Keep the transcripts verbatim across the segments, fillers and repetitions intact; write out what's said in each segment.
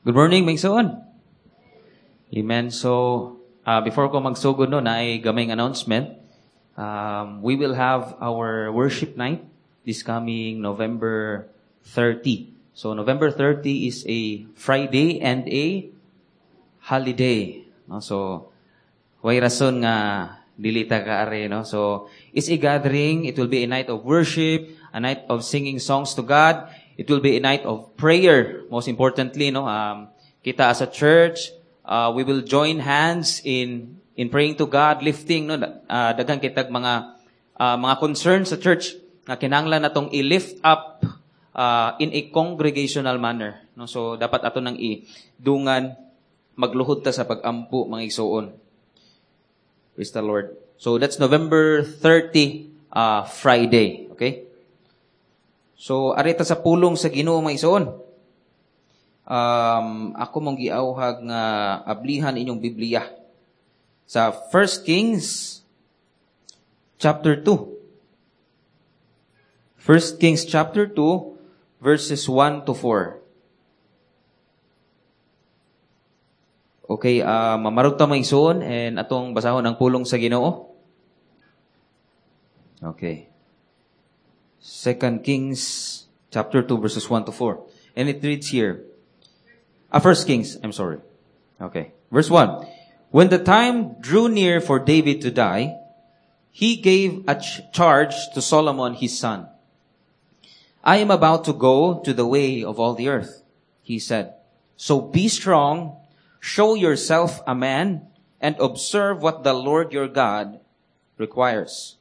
Good morning, mga igsoon. Amen. So, uh, before ko magsugod no, naay gamayng announcement. Um, we will have our worship night this coming November thirty. So, November thirty is a Friday and a holiday. No? So, way rason nga dili ta kaari, no? So, it's a gathering. It will be a night of worship, a night of singing songs to God. It will be a night of prayer. Most importantly, no, um, kita as a church, uh, we will join hands in in praying to God, lifting, no, uh, daghan kitag mga uh, mga concerns sa church nga kinahanglan natong i-lift up uh, in a congregational manner, no? So dapat ato nang i-dungan, magluhod ta sa pag-ampo, mga igsuon. Praise the Lord. So that's November thirty, uh, Friday, okay? So, ari ta sa pulong sa Ginoo, mga igsoon. Um, ako mong giawhag nga ablihan inyong Biblia sa First Kings chapter two. First Kings chapter two verses one to four. Okay, uh, mamarog ta, mga igsoon, and atong basahon ang pulong sa Ginoo. Okay. Second Kings chapter two verses one to four. And it reads here. Ah, First Kings, I'm sorry. Okay. Verse one. "When the time drew near for David to die, he gave a ch- charge to Solomon his son. 'I am about to go to the way of all the earth,' he said. 'So be strong, show yourself a man, and observe what the Lord your God requires.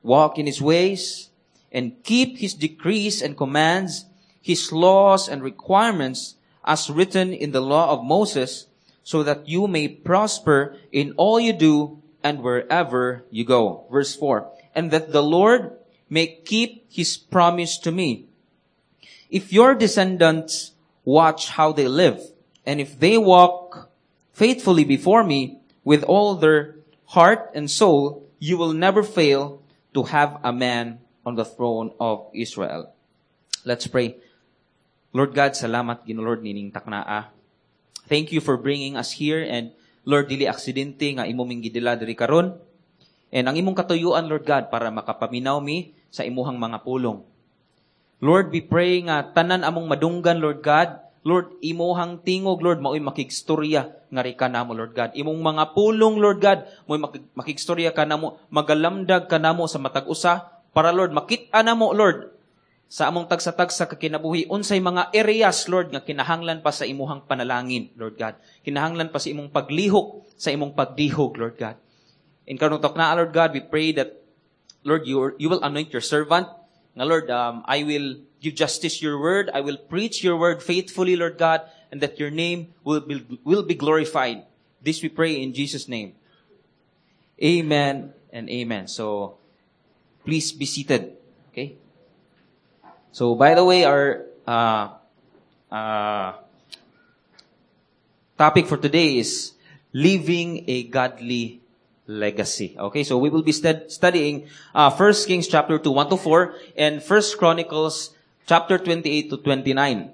Walk in his ways, and keep his decrees and commands, his laws and requirements as written in the law of Moses, so that you may prosper in all you do and wherever you go.'" Verse four. "And that the Lord may keep his promise to me. If your descendants watch how they live, and if they walk faithfully before me with all their heart and soul, you will never fail to have a man on the throne of Israel." Let's pray. Lord God, salamat Ginoo Lord nining taknaa. Thank you for bringing us here and, Lord, dili aksidente nga imo ming gidala diri karon. And ang imong katuyuan, Lord God, para makapaminaw mi sa imuhang mga pulong. Lord, we pray nga tanan among madunggan, Lord God, Lord, imuhang tingog, Lord, mao'y makigstorya nga ka namo, Lord God. Imong mga pulong, Lord God, mao'y makigstorya ka namo, magalamdag ka namo sa matag usa, para, Lord, makita namo, Lord, sa among tagsa-tagsa ka kinabuhi, unsay mga areas, Lord, nga kinahanglan pa sa imuhang panalangin, Lord God. Kinahanglan pa sa imong paglihok, sa imong pagdihog, Lord God. In karong na, Lord God, we pray that, Lord, you, you will anoint your servant. Nga, Lord, um, I will give justice your word. I will preach your word faithfully, Lord God, and that your name will be, will be glorified. This we pray in Jesus' name. Amen and amen. So, please be seated. Okay? So, by the way, our uh, uh, topic for today is leaving a godly legacy. Okay, so we will be stud- studying uh, First Kings chapter two, one to four, and First Chronicles chapter twenty-eight to twenty-nine.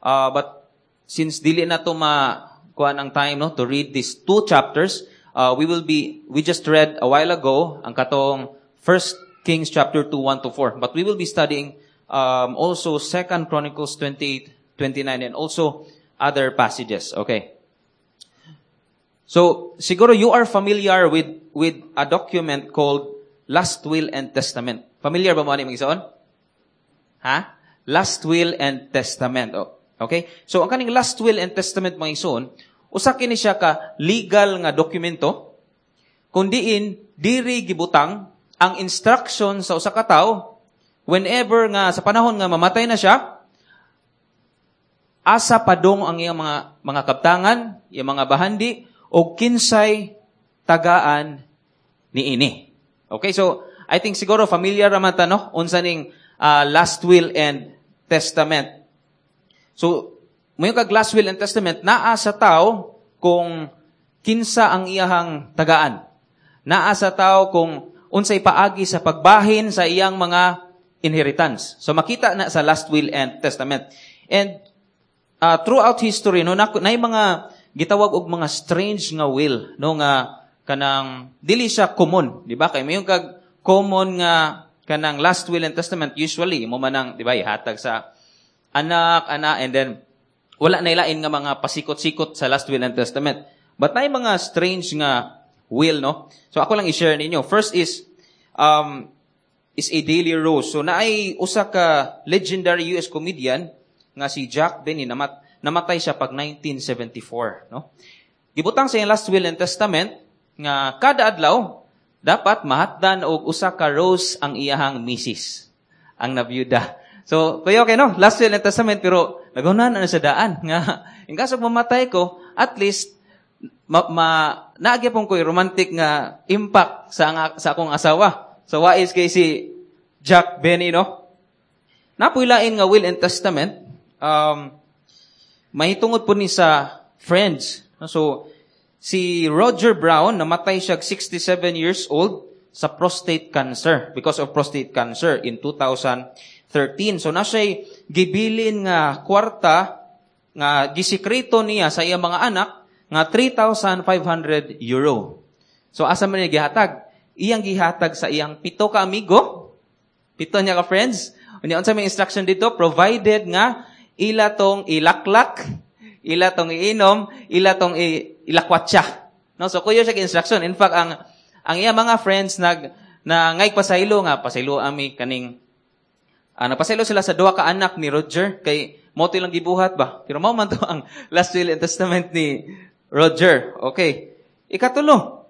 Uh, but since dili na to makuha ng time, no, to read these two chapters, uh, we will be, we just read a while ago ang katong First Kings chapter two, one to four. But we will be studying um, also Second Chronicles twenty-eight, twenty-nine, and also other passages. Okay. So, siguro you are familiar with with a document called Last Will and Testament. Familiar ba mo ani, mga igsoon? Ha? Last Will and Testament. Oh, okay? So, ang kaning Last Will and Testament, mga igsoon, usa kini siya ka legal nga dokumento kung diin diri gibutang ang instruction sa usa ka tawo whenever nga sa panahon nga mamatay na siya, asa padong ang iyang mga mga kabtangan, iyang mga bahandi o kinsay tagaan niini. Okay, so I think siguro familiar raman ta, no, unsa ning uh, last will and testament. So, moingon kag last will and testament, naa sa tao kung kinsa ang iyahang tagaan. Naa sa tao kung unsay paagi sa pagbahin sa iyang mga inheritance. So makita na sa last will and testament. And uh, throughout history no na, naay mga gitawag og mga strange nga will no nga kanang dili siya common, di ba? Kay mayon kag common nga kanang last will and testament usually mo man ang di ba ihatag sa anak, ana and then wala na ilain nga mga pasikot-sikot sa last will and testament. But naay mga strange nga will, no? So ako lang i-share ninyo. First is um is a daily rose. So naay usa ka legendary US comedian nga si Jack Benny namat namatay siya pag nineteen seventy-four, no? Gibutang sa iyang last will and testament nga kada adlaw dapat mahatdan og usa ka rose ang iyahang misis, ang nabiyuda. So, kuya okay no, last will and testament pero nagunahan na sa daan nga in kaso mamatay ko, at least ma, ma naagi pong ko'y romantic nga impact sa sa akong asawa. So wais kay si Jack Benny, no? Napuy lain nga will and testament, um, mahitungod po ni sa friends. So, si Roger Brown, namatay siya sixty-seven years old sa prostate cancer, because of prostate cancer in two thousand thirteen. So, na siya'y gibilin nga kwarta, nga gisikreto niya sa iyang mga anak, nga three thousand five hundred euro. So, asa man niya gihatag? Iyang gihatag sa iyang pito ka amigo, pito niya ka friends. Unya unsa may instruction dito? Provided nga ila tong ilaklak, ila tong iinom, ila tong ilakwatsa. No, so kuyo siya instruction. In fact, ang ang iya mga friends nag na ngay pasaylo nga pasaylo ami kaning uh, nagpasaylo sila sa duha ka anak ni Roger kay mo to ilang gibuhat ba. Pero mao man to ang last will and testament ni Roger. Okay. Ikatulo.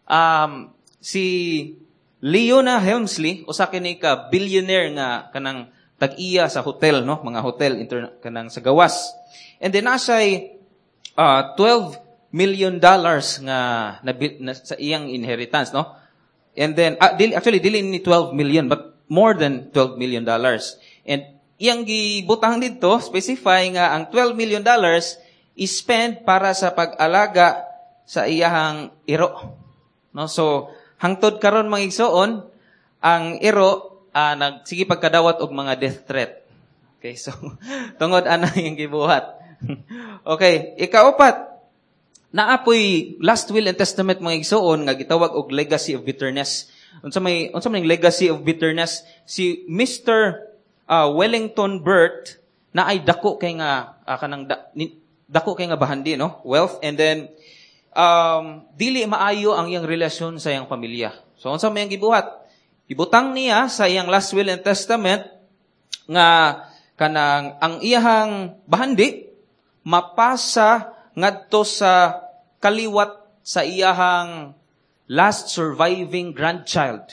Um si Leona Helmsley, usa kini ka billionaire nga kanang tag-iya sa hotel, no, mga hotel inter, kanang sa gawas. And then nasay uh, twelve million dollars nga na, na, sa iyang inheritance, no? And then uh, dili, actually dili ni twelve million but more than twelve million dollars. And iyang gibutang didto specify nga ang twelve million dollars is-spend para sa pag-alaga sa iyahang iro. No? So hangtod karon mga igsoon, ang iro uh, nagsige pagkadawat og mga death threat. Okay, so tungod ana yung gibuhat. Okay, ikaupat, naapoy last will and testament mga igsoon nga gitawag og legacy of bitterness. Unsa may unsa man legacy of bitterness? Si Mister Uh, Wellington Burt na ay dako kay nga uh, kanang da, ni, dako kay nga bahandi, no? Wealth, and then um dili maayo ang iyang relasyon sa iyang pamilya. So unsa may ang gibuhat? Ibutang niya sa iyang last will and testament nga kanang ang iyahang bahandi mapasa ngadto sa kaliwat sa iyahang last surviving grandchild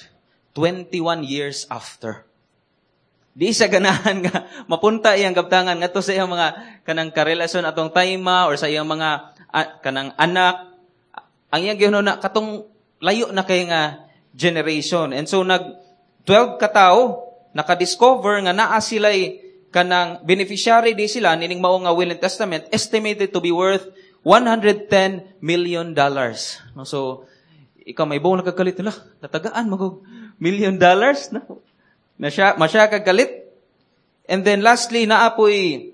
twenty-one years after. Di siya ganahan nga mapunta iyang kaptangan ngadto sa iyang mga kanang karelasyon atong tayma or sa iyang mga uh, kanang anak. Ang iyang gihunong na katong layo na kay nga generation. And so nag twelve katawo nakadiscover nga naa sila'y kanang beneficiary di sila nining mao nga will and testament estimated to be worth one hundred ten million dollars. No, so ikaw may buong nakagalit nila, natagaan magog million dollars, no? Na siya, masya kagalit. And then lastly, naapoy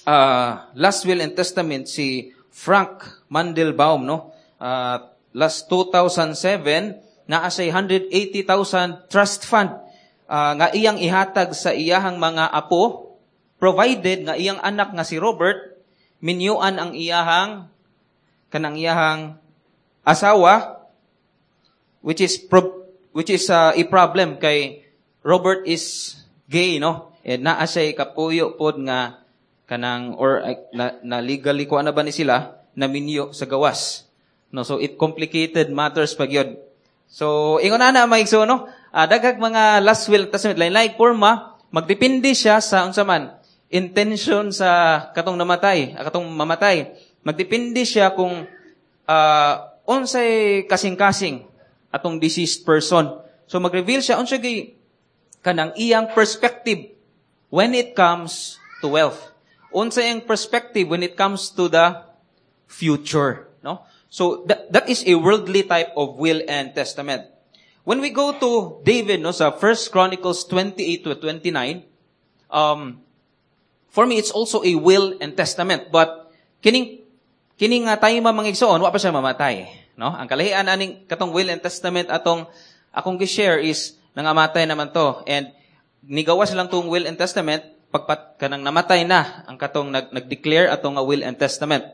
uh, last will and testament si Frank Mandelbaum, no? Uh, last two thousand seven, naa siya one hundred eighty thousand trust fund uh, nga iyang ihatag sa iyahang mga apo, provided nga iyang anak nga si Robert minyuan ang iyahang kanang iyahang asawa, which is pro, which is uh, a problem kay Robert is gay, no? And naa siya kapuyo pod nga kanang or uh, na, na legally kuan na ba ni sila na minyo sa gawas. No, so it complicated matters pag yun. So ingon ana mga igsoon, no? Uh, daghang mga last will testament lain-lain forma, magdepende siya sa unsa man intention sa katong namatay, katong mamatay. Magdepende siya kung uh, unsay kasing-kasing atong deceased person. So mag-reveal siya unsa gyud kanang iyang perspective when it comes to wealth. Unsa iyang perspective when it comes to the future, no? So that, that is a worldly type of will and testament. When we go to David, no, sa First Chronicles twenty-eight to twenty-nine, um, For me, it's also a will and testament. But kining kining nga time mga igsoon, wa pa siya mamatay, no? Ang kalahian aning katong will and testament atong akong gi-share is nangamatay naman to and nigawas lang tong will and testament pagpat kanang namatay na ang katong nag nag-declare atong nga will and testament.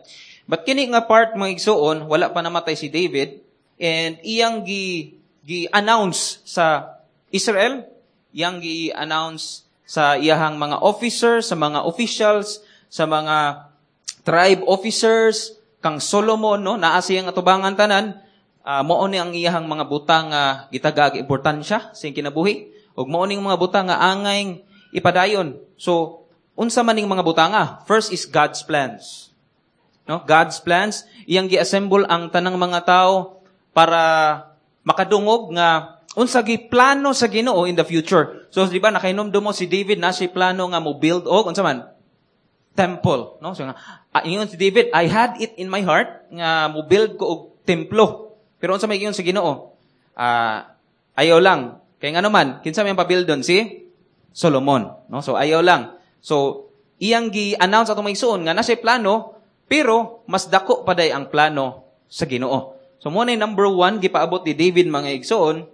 But kini nga part mga igsoon, wala pa namatay si David and iyang gi gi-announce sa Israel, iyang gi-announce sa iyahang mga officers, sa mga officials, sa mga tribe officers, kang Solomon, no, naa siyang atubangan tanan, uh, mao ni ang iyahang mga butang nga uh, gitagaag importansya sa iyang kinabuhi, ug mao ning mga butang nga angay ipadayon. So, unsa man ning mga butanga? First is God's plans. No? God's plans, iyang gi-assemble ang tanang mga tao para makadungog nga unsa gi plano sa Ginoo in the future. So, di ba nakainomdom mo si David na si plano nga mo build og unsa man? Temple, no? So nga ah, ingon si David, I had it in my heart nga mo build ko og templo. Pero unsa may ingon sa Ginoo? Ah, ayaw lang. Kay ngano man, kinsa may pa-build doon si Solomon, no? So ayaw lang. So iyang gi-announce atong maigsuon nga na siya plano, pero mas dako pa day ang plano sa Ginoo. So mo na number one gipaabot ni David mga igsoon,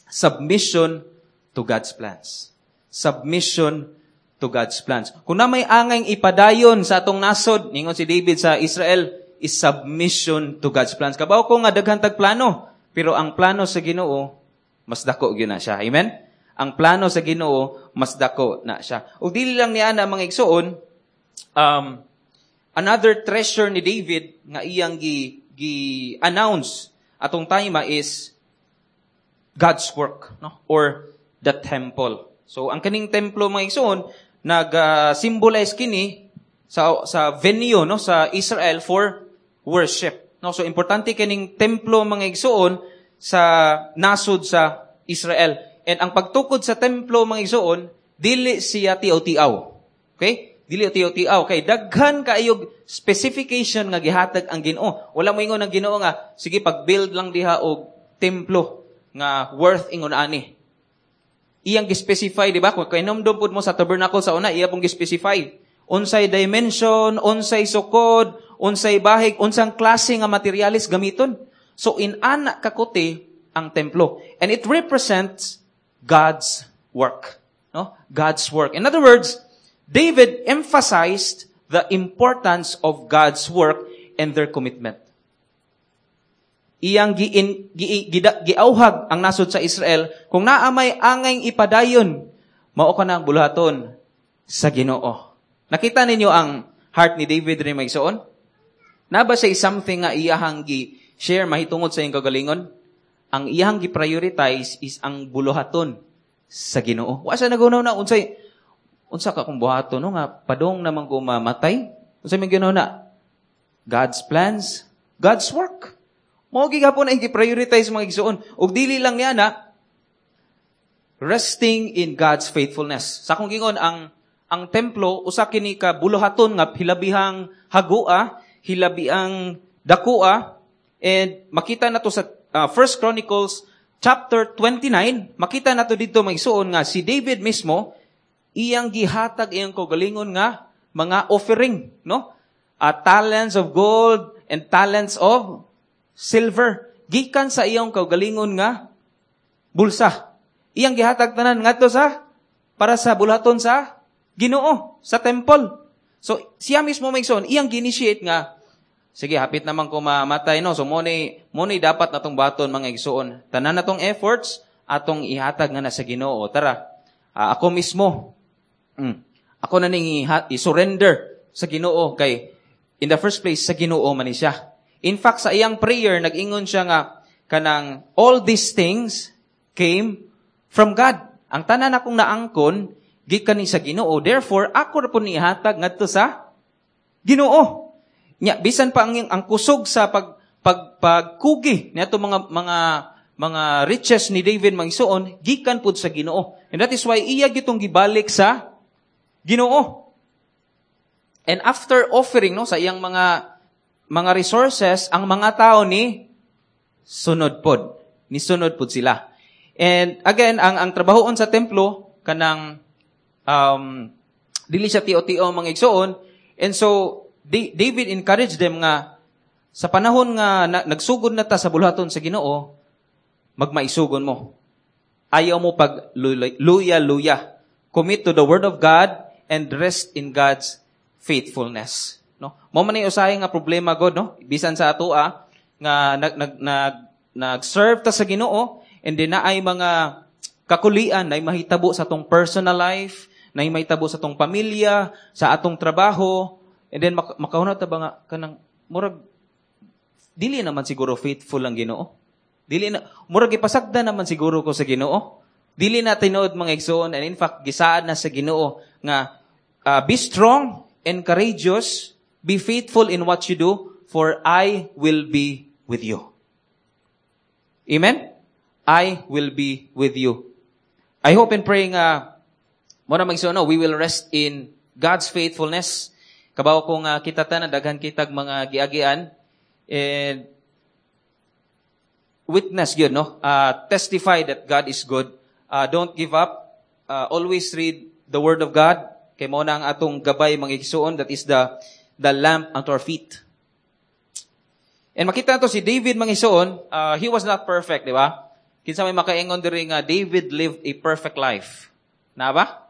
submission to God's plans. Submission to God's plans. Kung na may angay ipadayon sa atong nasod, ningon si David sa Israel, is submission to God's plans. Kabaw ko nga daghan tag plano, pero ang plano sa Ginoo mas dako gyud na siya. Amen? Ang plano sa Ginoo mas dako na siya. Ug dili lang niya na mga igsoon, um, another treasure ni David nga iyang gi, gi-announce atong time is God's work, no? Or the temple. So ang kaning templo mga igsoon nag-symbolize uh, kini sa sa venue no sa Israel for worship. No, so importante kining templo mga igsoon sa nasod sa Israel. And ang pagtukod sa templo mga igsoon dili siya tiaw-tiaw. Okay? Dili tiaw-tiaw kay daghan kaayog specification nga gihatag ang Ginoo. Wala mo ingon ang Ginoo nga sige pag-build lang diha og templo nga worth ingon ani. Iyang gi-specify, di ba? Kung kahinumdom pud mo sa tabernacle sa una, iya pong gi-specify. Unsay dimension, unsay sukod, unsay bahig, unsang klase nga materialis gamiton. So in-ana kakuti ang templo. And it represents God's work. No? God's work. In other words, David emphasized the importance of God's work and their commitment. Iyang giin, gi, gi, giauhag ang nasod sa Israel kung naa may angay ipadayon, mao ka na ang buluhaton sa Ginoo. Nakita ninyo ang heart ni David rin mga igsoon? Na ba siya something nga iyahang gi-share mahitungod sa iyang kagalingon? Ang iyahang gi-prioritize is ang buluhaton sa Ginoo. Wa siya nagunaw na unsay unsa ka kung buhaton no nga padong naman ko mamatay. Unsay may ginawa na? God's plans, God's work. Mao gihapon ang gi-prioritize mga igsoon. Ug dili lang niya na resting in God's faithfulness. Sa akong gingon ang ang templo usa kini ka buluhaton nga hilabihang hagua, hilabiang dakua, and makita nato sa uh, First Chronicles chapter twenty-nine, makita nato didto mga igsoon nga si David mismo iyang gihatag iyang kaugalingon nga mga offering, no? Uh, talents of gold and talents of silver gikan sa iyang kaugalingon nga bulsa. Iyang gihatag tanan ngadto sa para sa buluhaton sa Ginoo, sa temple. So siya mismo mga igsoon, iyang gi-initiate nga sige, hapit naman ko mamatay no. So mo ni mo ni dapat natong baton mga igsoon. Tanan natong efforts atong ihatag nga na sa Ginoo. Tara, uh, ako mismo mm, ako na ning i-surrender sa Ginoo kay in the first place sa Ginoo man ni siya. In fact, sa iyang prayer, nag-ingon siya nga, kanang all these things came from God. Ang tanan akong naangkon, gikan ni sa Ginoo. Therefore, ako ra po nihatag ngadto sa Ginoo. Nya, bisan pa ang, ang kusog sa pag, pag, pagkugi niadto mga, mga, mga riches ni David mga igsoon, gikan pud sa Ginoo. And that is why iya gitong gibalik sa Ginoo. And after offering no sa iyang mga mga resources, ang mga tao ni sunod pod. Ni sunod pod sila. And again, ang ang trabahoon sa templo kanang um, Dili siya tiyo-tiyo mga igsoon. And so David encouraged them nga sa panahon nga na, nagsugod na ta sa buluhaton sa Ginoo, magmaisugon mo. Ayaw mo pag luya-luya. Commit to the word of God and rest in God's faithfulness. No? Mao man ni usahay nga problema god no, bisan sa atoa nga nag nag nag nag-serve ta sa Ginoo and then naay mga kakulian na mahitabo sa atong personal life, na mahitabo sa atong pamilya, sa atong trabaho, and then mak- makahuna ta ba nga kanang murag dili naman siguro faithful ang Ginoo. Dili na murag ipasagda naman siguro ko sa Ginoo. Dili na tinuod mga igsoon and in fact gisaad na sa Ginoo nga uh, be strong and courageous, be faithful in what you do, for I will be with you. Amen? I will be with you. I hope and pray nga mo na magsuno, we will rest in God's faithfulness. Kabaw ko nga kita tanan daghan kitag mga giagian and witness yun, no? Uh, testify that God is good. Uh, don't give up. Uh, always read the Word of God. Kay mao na ang atong gabay mga igsuon, that is the the lamp unto our feet. And makita nato si David mga igsuon, uh, he was not perfect, di ba? Kinsa may makaingon diri nga David lived a perfect life. Na ba?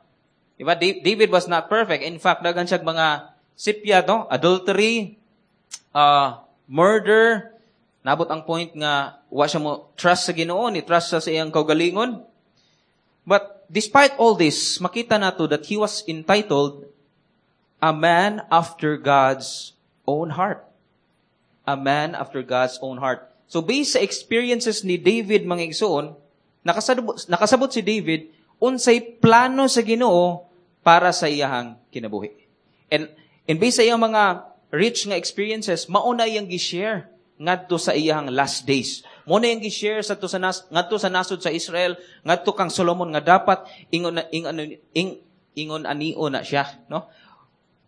Di ba? David was not perfect. In fact, daghan siya mga sipya, no? Adultery, uh, murder, nabot ang point nga wa siya mo trust sa Ginoo, ni trust sa iyang kaugalingon. But despite all this, makita nato that he was entitled a man after God's own heart. A man after God's own heart. So based sa experiences ni David mga igsoon, nakasabot, nakasabot si David unsay plano sa Ginoo para sa iyahang kinabuhi. And and based sa iyang mga rich nga experiences, mao na iyang gi-share ngadto sa iyahang last days. Mao na iyang gi-share sa sa nas, ngadto sa nasod sa Israel, ngadto kang Solomon nga dapat ingon ingon ing, ingon anio na siya, no?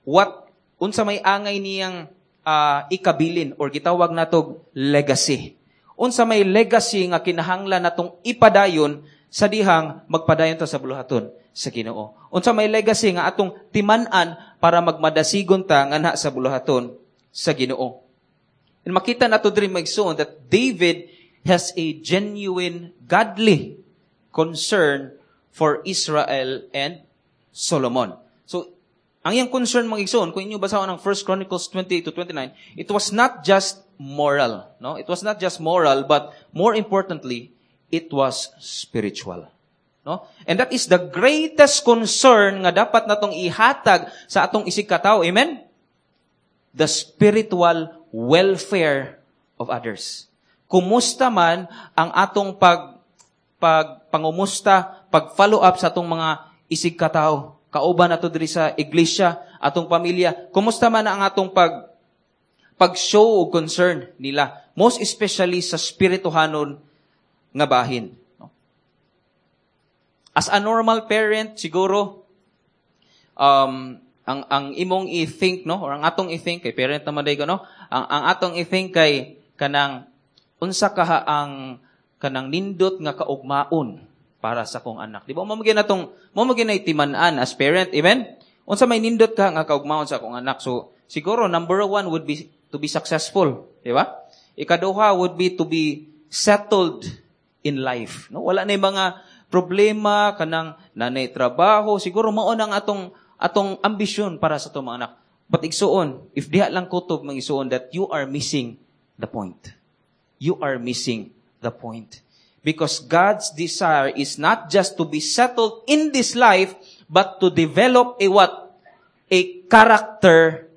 What unsa may angay niyang uh, ikabilin or gitawag natog legacy. Unsa may legacy nga kinahanglan natong ipadayon sa dihang magpadayon ta sa buluhaton sa Ginoo. Unsa may legacy nga atong timan-an para magmadasigon ta nganha sa buluhaton sa Ginoo. And makita nato diri magsuon that David has a genuine godly concern for Israel and Solomon. So, ang iyang concern mga igsoon, kung inyo basahon ang First Chronicles twenty-eight to twenty-nine, it was not just moral, no? It was not just moral, but more importantly, it was spiritual. No? And that is the greatest concern nga dapat natong ihatag sa atong isig katawo. Amen? The spiritual welfare of others. Kumusta man ang atong pag, pag pangumusta, pag-follow up sa atong mga isig katawo? Kauban nato diri sa iglesia, atong pamilya. Kumusta man ang atong pag pag-show og concern nila, most especially sa spirituhanon nga bahin. No? As a normal parent, siguro um ang ang imong i-think no or ang atong i-think kay parent naman day ko no, ang ang atong i-think kay kanang unsa kaha ang kanang nindot nga kaugmaon para sa kong anak. Di ba? Mao man atong mao man gyud timan-an as parent, amen? Unsa may nindot ka nga kaugmaon sa akong anak? So siguro number one would be to be successful, di ba? Ikaduha would be to be settled in life, no? Wala na mga problema kanang nanay trabaho, siguro mao nang atong atong ambisyon para sa atong mga anak. But igsuon, if diha lang kutob mga igsuon that you are missing the point. You are missing the point. Because God's desire is not just to be settled in this life, but to develop a what? A character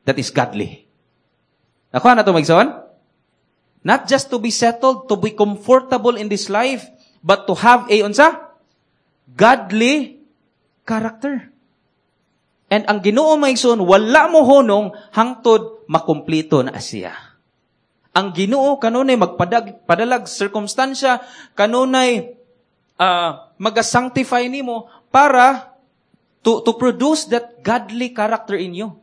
that is godly. Nakuha na ito, magsoon? Not just to be settled, to be comfortable in this life, but to have a, unsa? Godly character. And ang Ginoo mga igsoon, wala mo hunong hangtod makumplito na siya. Ang Ginoo kanunay magpadag padalag sirkumstansya, kanunay uh, maga-sanctify nimo para to to produce that godly character in you.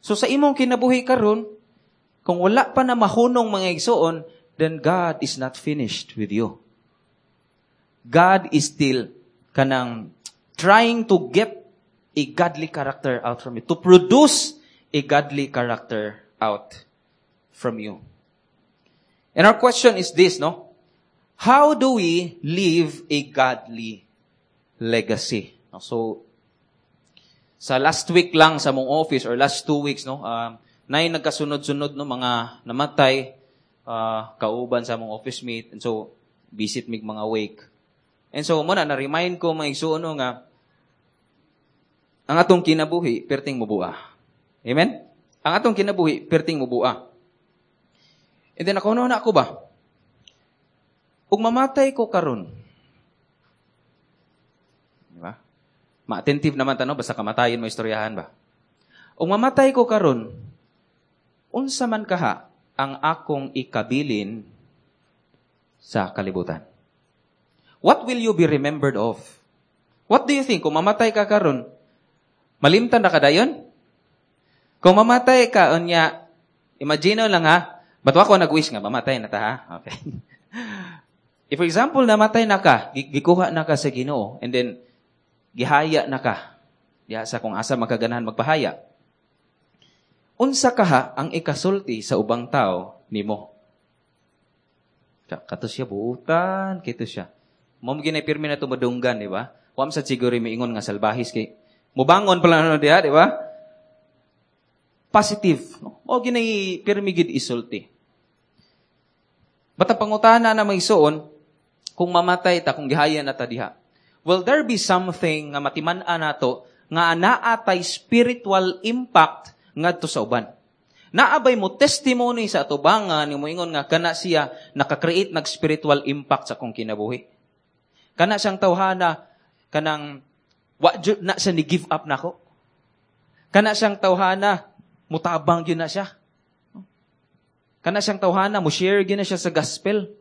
So sa imong kinabuhi karon, kung wala pa na mahunong mga igsoon, then God is not finished with you. God is still kanang trying to get a godly character out from you. To produce a godly character out from you. And our question is this, no? How do we leave a godly legacy? So, sa last week lang sa mong office or last two weeks, no, um, nay nagkasunod-sunod no mga namatay uh, kauban sa mong office mate and so visit mig mga wake. And so mo na na-remind ko mga igsuon no, nga ang atong kinabuhi perting mubua. Amen? Ang atong kinabuhi perting mubua. And then ako na ako ba? Ug mamatay ko karon. Di ba? Ma-attentive naman ta no, basta kamatayon mo istoryahan ba? Ug mamatay ko karon, unsa man kaha ang akong ikabilin sa kalibutan? What will you be remembered of? What do you think? Kung mamatay ka karon, malimtan na ka dayon? Kung mamatay ka, unya, imagine lang ha, ba't ako nag-wish nga, mamatay na ta ha? Okay. If for example, namatay na ka, gikuha na ka sa Ginoo, and then, gihaya na ka, diha sa kung asa magkaganahan magpahaya. Unsa kaha ang ikasulti sa ubang tao nimo? Kato siya buutan, kito siya. Mo ginay pirmi na tumadunggan, di ba? Wa sa siguro miingon nga salbahis kay mubangon pala no diha, di ba? Positive, no? Mo ginay pirmi gid isulti. Bata pangutana na may suon, kung mamatay ta, kung gihaya na ta diha, will there be something nga matiman-an nato nga naa tay spiritual impact ngadto sa uban? Naabay mo testimony sa atubangan ni moingon nga kana siya naka-create nag spiritual impact sa akong kinabuhi. Kana siyang tawhana kanang wa jud na siya ni give up nako. Kana siyang tawhana mutabang gyud na siya. Kana siyang tawhana mo share gyud na siya sa gospel.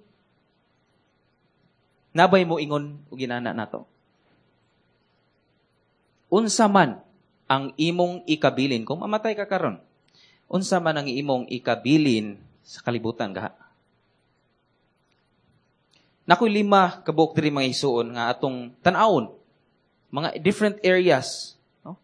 Nabay mo ingon og ginana nato. Unsa man ang imong ikabilin kung mamatay ka karon? Unsa man ang imong ikabilin sa kalibutan kaha? Nakoy lima kabuok diri mga igsuon nga atong tan-awon mga different areas, no?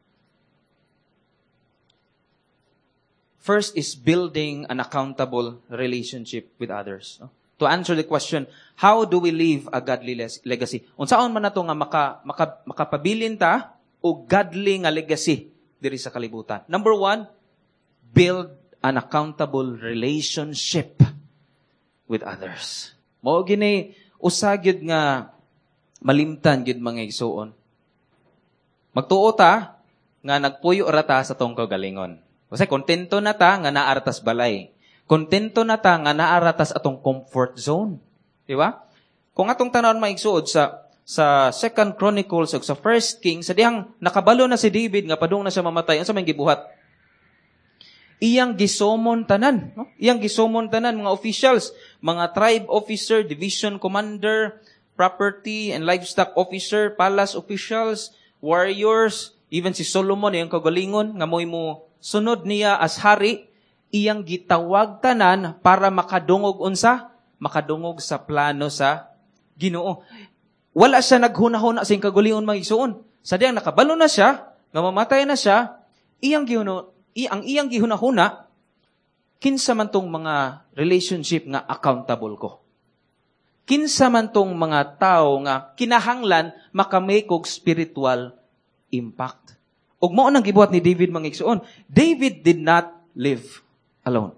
First is building an accountable relationship with others, no? To answer the question, how do we leave a godly legacy? Unsaon man nato nga maka, maka, makapabilin ta o godly nga legacy diri sa kalibutan? Number one, build an accountable relationship with others. Mao gini usa gyud nga malimtan gyud mga igsuon. Magtuo ta nga nagpuyo ra ta sa tong kaugalingon. Kasi kontento na ta nga naaratas balay. Kontento na ta nga naaratas atong comfort zone. Di ba? Kung atong tan-awon maigsuod sa sa Second Chronicles ug sa First Kings, sa dihang nakabalo na si David nga padung na siya mamatay, unsa may gibuhat? Iyang gisumon tanan, no? Iyang gisumon tanan mga officials, mga tribe officer, division commander, property and livestock officer, palace officials, warriors, even si Solomon iyang kagalingon nga mo'y mo sunod niya as hari, iyang gitawag tanan para makadungog unsa? Makadungog sa plano sa Ginoo. Wala siya naghunahuna sa iyang kagalingon mga igsuon. Sa diyang nakabalo na siya, nga mamatay na siya, iyang gihuno, i, ang iyang gihunahuna, kinsa man tong mga relationship nga accountable ko. Kinsa man tong mga tao nga kinahanglan makamake og spiritual impact. Ug mao nang gibuhat ni David mga igsuon. David did not live alone.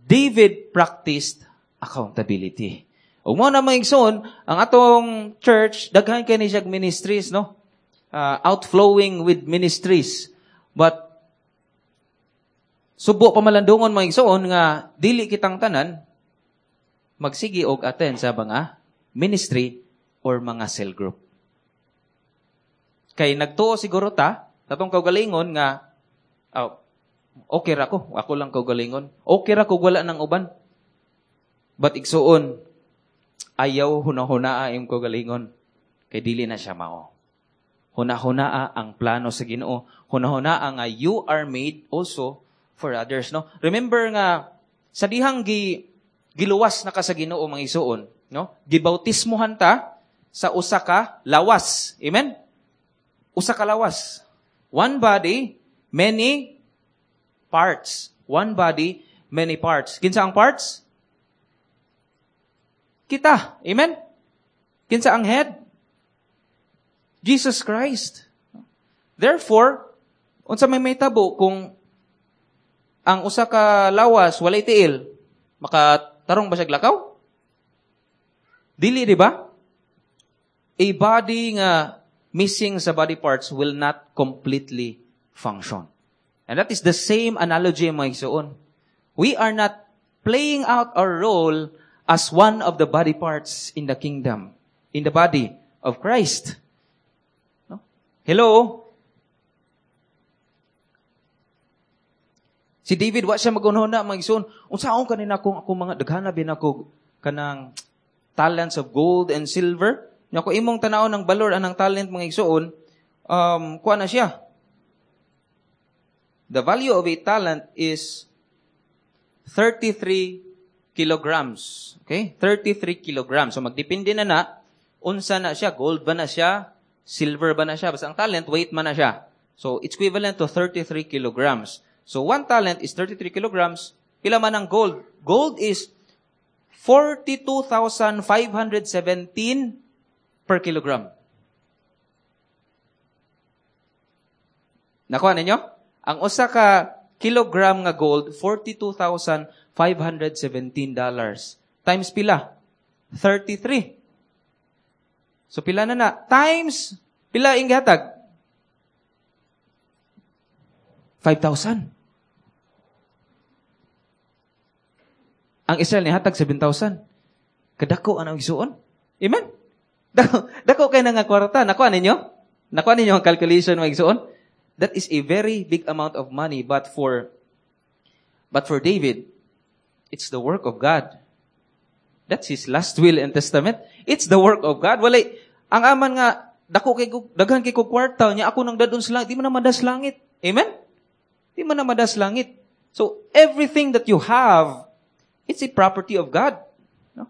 David practiced accountability. Ug mao na mga igsuon, ang atong church daghan kay ni siya ministries, no? Uh, outflowing with ministries. But subo pamalandungon mga igsuon nga dili kitang tanan magsigi og attend sa mga ministry or mga cell group. Kay nagtuo siguro ta, tatong kaugalingon nga, oh, okay ra ko, ako lang kaugalingon. Okay ra ko wala ng uban. But igsuon, ayaw hunahunaa imong kaugalingon. Kay dili na siya mao. Hunahunaa ang plano sa Ginoo. Hunahunaa nga you are made also for others, no? Remember nga sa dihang gi, giluwas na ka sa Ginoo mga igsuon, no? Gibautismohan ta sa usa ka lawas. Amen? Usa ka lawas. One body, many parts. One body, many parts. Kinsa ang parts? Kita. Amen? Kinsa ang head? Jesus Christ. Therefore, unsa may mahitabo kung ang usa ka lawas walay tiil, makatarong ba siya lakaw? Dili, di ba? A body nga missing sa body parts will not completely function. And that is the same analogy, mga igsoon. We are not playing out our role as one of the body parts in the kingdom, in the body of Christ. No? Hello? Si David, wa siya magunhona, mga igsoon. Unsaon kanina kung ako mga daghana bin ako kanang talents of gold and silver? Nya kung imong tan-awon ng balor anang talent, mga igsoon, um, kuha na siya. The value of a talent is thirty-three kilograms. Okay? thirty-three kilograms. So magdepende na na, unsa na siya, gold ba na siya, silver ba na siya, basta ang talent, weight man na siya. So it's equivalent to thirty-three kilograms. So one talent is thirty-three kilograms. Pila man ang gold? Gold is forty-two thousand five hundred seventeen per kilogram. Nakuha ninyo? Ang usa ka kilogram nga gold, forty-two thousand five hundred seventeen dollars. Times pila? thirty-three. So pila na na? Times, pila ing gihatag? five thousand. Ang Israel nihatag seven thousand. Kadako ang igsuon. Amen? Dako, dako kay na nga kwarta. Nakuha ninyo? Nakuha ninyo ang calculation, mga igsuon? That is a very big amount of money, but for, but for David, it's the work of God. That's his last will and testament. It's the work of God. Walay, ang aman nga, dako kay daghan kay kog kwarta, nya ako nang dadon sa langit, di man na madas langit. Amen? Di man na madas langit. So, everything that you have, it's a property of God. No?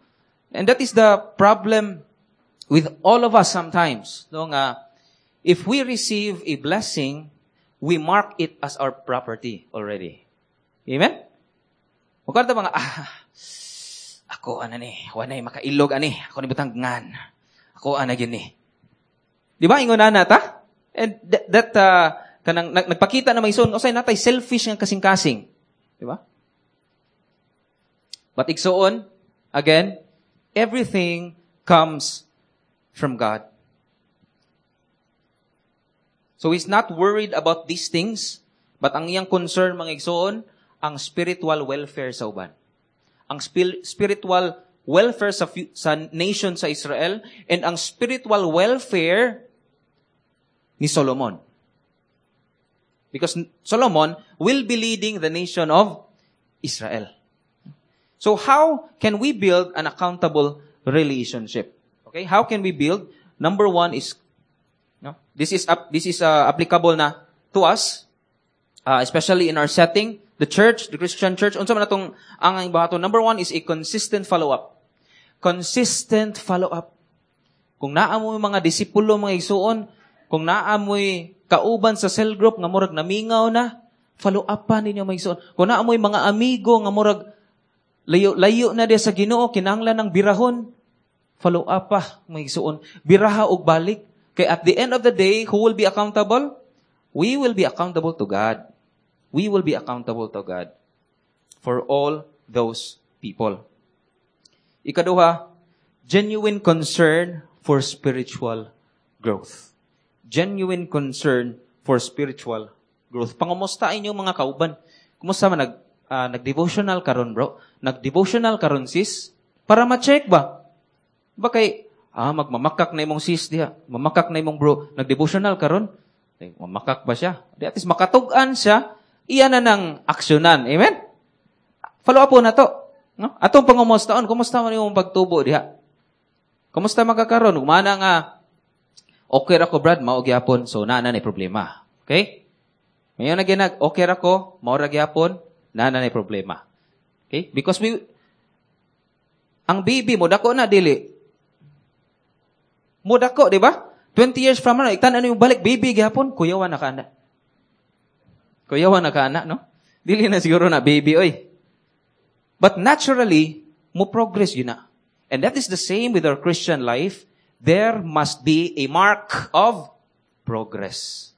And that is the problem with all of us sometimes. No, nga, if we receive a blessing, we mark it as our property already. Amen? Magkanta mga, ah, ako ana ni, wanay makailog ani, ako ni butang ngan. Ako ana gini. Di ba ingon na ta? And th- that uh, kanang nagpakita na may son, usay natay selfish nga kasing-kasing. Di ba? But igsoon, again, everything comes from God. So he's not worried about these things, but ang iyang concern, mga igsoon, ang spiritual welfare sa uban. Ang spil- spiritual welfare sa, sa nation sa Israel, and ang spiritual welfare ni Solomon. Because Solomon will be leading the nation of Israel. So how can we build an accountable relationship? Okay, how can we build? Number one is, no, this is up, this is uh, applicable na to us, uh, especially in our setting, the church, the Christian church. Unsa man atong ang bahaton? Number one is a consistent follow-up. Consistent follow-up. Kung naa mo'y mga disipulo, mga igsuon, kung naa mo'y kauban sa cell group nga murag namingaw na, follow up pa ninyo, mga igsuon. Kung naa mo'y mga amigo nga murag layo, layo na diya sa Ginoo, kinahanglan ng birahon, follow up pa, mga igsuon. Biraha og balik. Kay at the end of the day, who will be accountable? We will be accountable to God. We will be accountable to God for all those people. Ikaduha, genuine concern for spiritual growth. Genuine concern for spiritual growth. Pangumusta inyo mga kauban? Kumusta man nag, uh, nag-devotional karon, bro? Nag-devotional karon, sis? Para ma-check ba? Ba kay, ah, magmamakak na imong sis diha, mamakak na imong bro, nag-devotional karon? Eh, mamakak ba siya? Di at least makatug-an siya, iya na nang aksyonan. Amen? Follow up po na to. No? Atong pangumustaon, kumusta man imong pagtubo diha? Kumusta magkakaroon? Kumana nga, okay ra ko, Brad, mao gyapon, so naa na ni problema. Okay? Ngayon na ginag, okay ra ko, mao ra gyapon, naa na ni problema. Okay? Because we, ang baby mo, dako na, dili. Mo dako, di ba? twenty years from now, iktan ano yung balik, baby gyapon, kuyawan na ka na. Kuyawa na ka ana, no? Dili na siguro na baby, oy. But naturally, mo progress gyud na. And that is the same with our Christian life. There must be a mark of progress.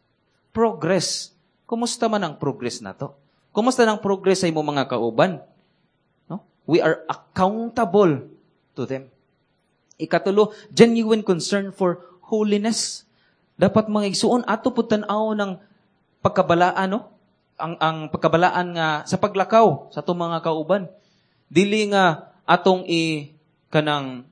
Progress. Kumusta man ang progress nato? Kumusta ang progress sa imong mga kauban? No? We are accountable to them. Ikatulo, genuine concern for holiness. Dapat mga igsuon ato pud tan-aw ng pagkabalaan no? Ang ang pagkabalaan nga sa paglakaw sa atong mga kauban. Dili nga atong i kanang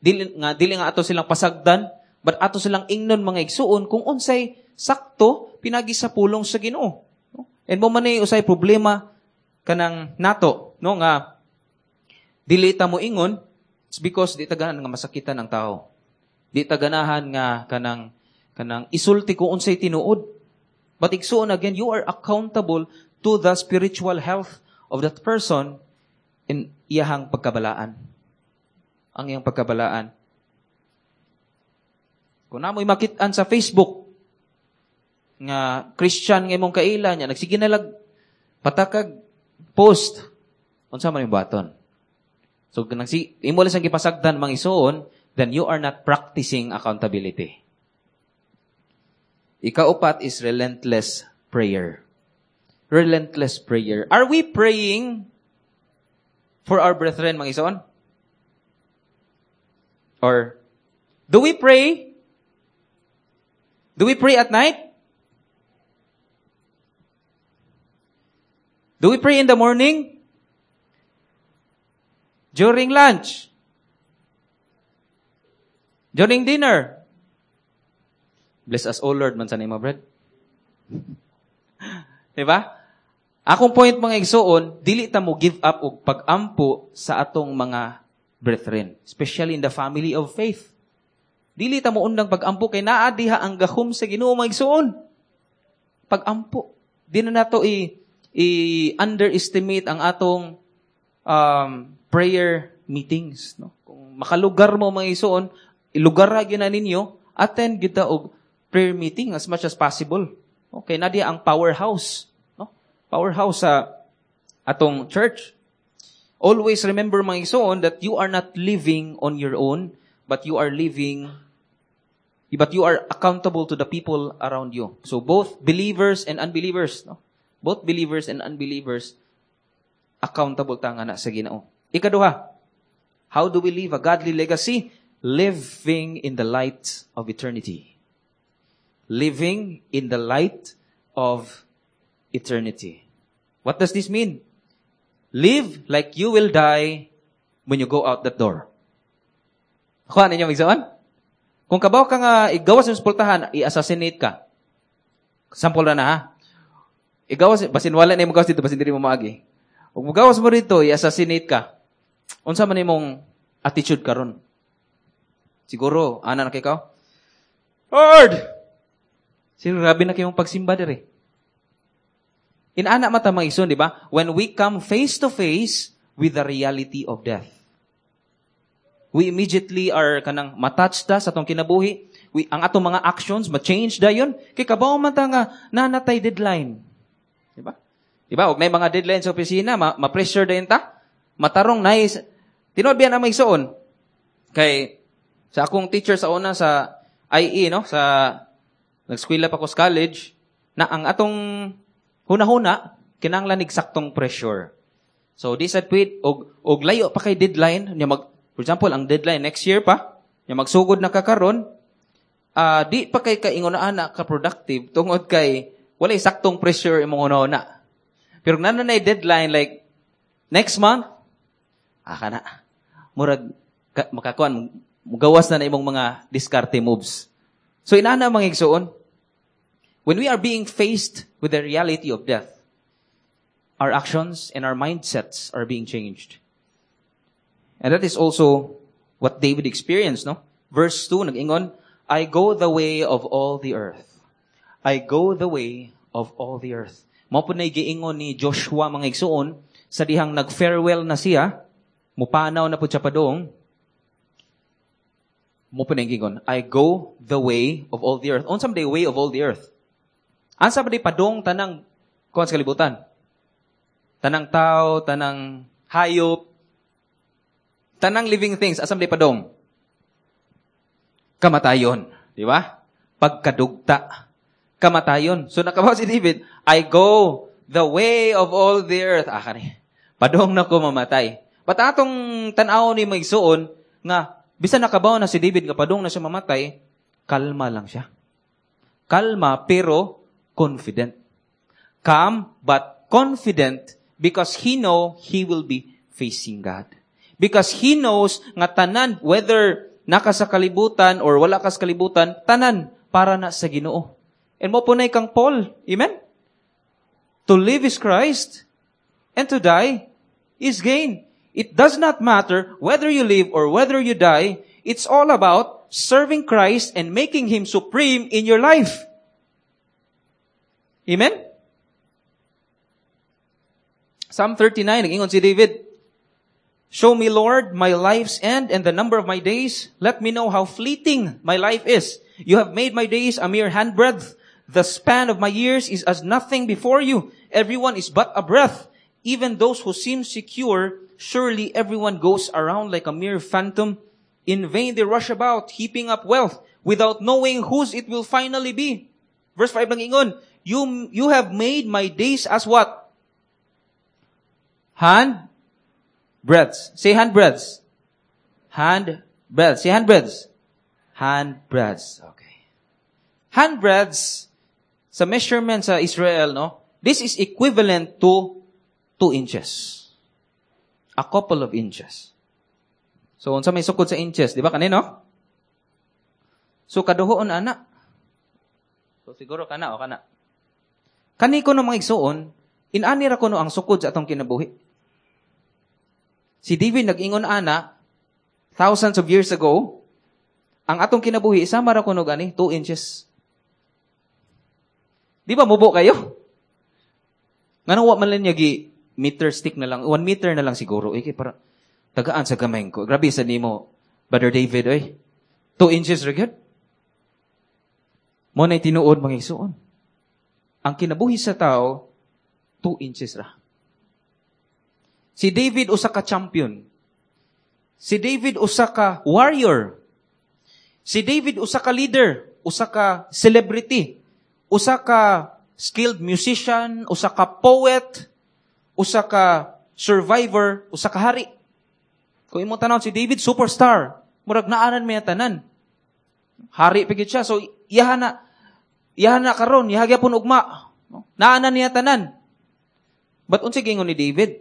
dili nga dili nga ato silang pasagdan, but ato silang ingnon mga igsuon kung unsay sakto pinagi sa pulong sa Ginoo. No? And mao man usay problema kanang nato, no nga dili ta mo ingon it's because di ta ganahan nga masakitan ang tao. Di ta ganahan nga kanang kanang isulti kung unsay tinuod. But igsuon again, you are accountable to the spiritual health of that person in iyahang pagkabalaan. Ang iyang pagkabalaan. Kung namoy makit-an sa Facebook nga Christian nga imong kaila niya, nagsige na lag patakag post, unsa man yung baton. So kung nagsi imo lang siyang gipasagdan mga igsuon, then you are not practicing accountability. Ikaupat is relentless prayer. Relentless prayer. Are we praying for our brethren, mga igsoon? Or do we pray? Do we pray at night? Do we pray in the morning? During lunch? During dinner? Bless us, O Lord, man sa nimo, bread. Diba? Akong point mga igsuon, dili ta mo give up og pag-ampo sa atong mga brethren, especially in the family of faith. Dili ta mo undang pag-ampo kay naa diha ang gahom sa Ginoo mga igsuon. Pag-ampo. Di na nato i, i-underestimate ang atong um, prayer meetings, no? Kung makalugar mo mga igsuon, ilugar ra gyud na ninyo, attend gyud ta og prayer meeting as much as possible. Okay, na diha ang powerhouse, no? Powerhouse sa atong church. Always remember mga igsoon that you are not living on your own, but you are living but you are accountable to the people around you. So both believers and unbelievers, no? Both believers and unbelievers accountable ta nga na sa Ginoo. Ikaduha, how do we leave a godly legacy? Living in the light of eternity. Living in the light of eternity. What does this mean? Live like you will die when you go out that door. Kuha ninyo igsoon? Kung kabaw ka nga igawas sa sepultahan, i-assassinate ka. Sample na na ha. Igawas, basin wala na imong gawas dito, basin diri mo maagi. Kung mugawas mo dito, i-assassinate ka. Unsa man imong attitude karon? Siguro, ana na kay ka? Lord! Siguro, grabe na kayong pagsimba diri. Inana mata mga igsoon, di ba? When we come face to face with the reality of death. We immediately are kanang matouch ta sa atong kinabuhi. We, ang atong mga actions, ma-change dayon. Kay kabaw man ta nga nanatay deadline. Di ba? Di ba? Og nay mga deadline sa opisina, ma- ma-pressure dayon ta. Matarong nice. Tinuod biya na mga igsoon. Kay sa akong teacher sa una sa I E, no? Sa nag-eskwela pa ko sa college, na ang atong huna-huna, kinahanglan saktong pressure. So, di sad pwede, og, og layo pa kay deadline, niya mag, for example, ang deadline next year pa, niya magsugod na ka karon, uh, di pa kay kaingon na ana ka productive tungod kay walay saktong pressure imong huna-huna. Pero kung naa na deadline like next month, ah kana murag ka, makakuan mugawas na na imong mga diskarte moves. So inana mga igsoon, when we are being faced with the reality of death, our actions and our mindsets are being changed. And that is also what David experienced, no? Verse two, nag-ingon, I go the way of all the earth. I go the way of all the earth. Mao pud na giingon ni Joshua mga igsoon, sa dihang nag-farewell na siya, mupanaw na pud siya padung, mao pud na giingon, I go the way of all the earth. Unsa man the way of all the earth? Asa ba di padung tanang Kuan sa kalibutan. Tanang tao, tanang hayop, tanang living things, asa man padong? Kamatayon. Di ba? Pagkadugta. Kamatayon. So nakabaw si David, I go the way of all the earth. Ah, kani. Padong na ko mamatay. But atong tan-aw ni mga igsuon, nga, bisan nakabaw na si David, nga padong na siya mamatay, kalma lang siya. Kalma, pero confident. Calm, but confident because he know he will be facing God. Because he knows nga tanan, whether naka sa kalibutan or wala ka sa kalibutan, tanan para na sa Ginoo. And mao po na kang Paul. Amen? To live is Christ, and to die is gain. It does not matter whether you live or whether you die. It's all about serving Christ and making Him supreme in your life. Amen? Psalm thirty-nine, nag-ingon si David, "Show me, Lord, my life's end and the number of my days. Let me know how fleeting my life is. You have made my days a mere handbreadth. The span of my years is as nothing before you. Everyone is but a breath. Even those who seem secure, surely everyone goes around like a mere phantom. In vain they rush about, heaping up wealth, without knowing whose it will finally be." Verse five nag-ingon, you, you have made my days as what? Hand breadths. Say hand breadths. Hand breadths. Say hand breadths. Hand breadths. Okay. Hand breadths, sa measurement sa Israel, no? This is equivalent to two inches. A couple of inches. So, unsa may sukod sa inches, di ba kanino? So, kaduhoon ana. So, siguro kana o kana. Kani ko no mga igsuon, inani ra kuno ang sukod sa atong kinabuhi. Si David nag-ingon ana, thousands of years ago, ang atong kinabuhi, sama ra kuno gani, two inches. Di ba mubo kayo? Nganong wa man lang niya gi meter stick na lang, one meter na lang siguro. Eh, para tagaan sa gamay ko. Grabe sa nimo, Brother David, oy. Two inches ra gyud. Mo na'y tinuod mga igsuon. Ang kinabuhi sa tao, two inches ra. Si David usa ka champion. Si David usa ka warrior. Si David usa ka leader, usa ka celebrity, usa ka skilled musician, usa ka poet, usa ka survivor, usa ka hari. Kung imong tan-awon si David, superstar. Murag naanan may tanan. Hari pa gyud siya. So iyaha na, iyaha na karon, iyaha gyapon ugma. Naanan niya tanan. But unsay giingon ni David?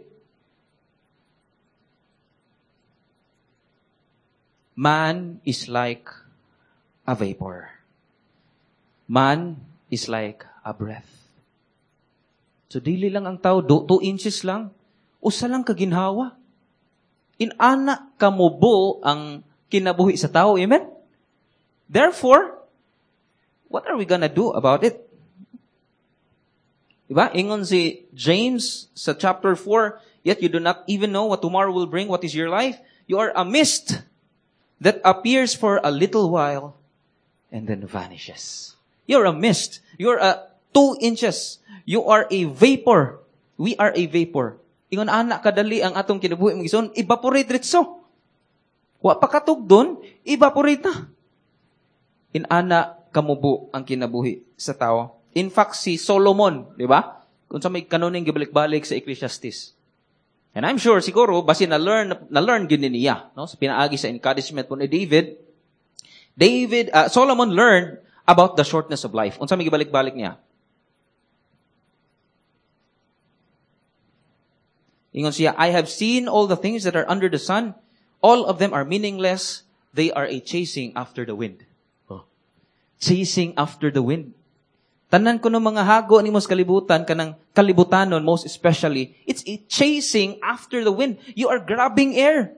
Man is like a vapor. Man is like a breath. So, dili lang ang tao, two inches lang. Usa lang kaginhawa. Inana kamubo ang kinabuhi sa tao. Amen? Therefore, what are we gonna do about it? Diba? Ingon si James sa chapter four, "Yet you do not even know what tomorrow will bring. What is your life? You are a mist that appears for a little while and then vanishes." You're a mist. You're a two inches. You are a vapor. We are a vapor. Ingon ana kadali ang atong kinabuhi mga igsoon, evaporate ritso. Wa pa katugdon, evaporate na. Inana kamubo ang kinabuhi sa tao. In fact, si Solomon, di ba? Kung sa may kanuning gibalik-balik sa Ecclesiastes. And I'm sure, siguro, basi na-learn, na-learn gini niya, no? Sa pinaagi sa encouragement po ni David, David, uh, Solomon learned about the shortness of life. Unsa may gibalik-balik niya? Ingon siya, "I have seen all the things that are under the sun. All of them are meaningless. They are a chasing after the wind." Oh. Chasing after the wind. Tanan ko ng mga hago ni mos kalibutan, kanang kalibutanon most especially, it's a chasing after the wind. You are grabbing air.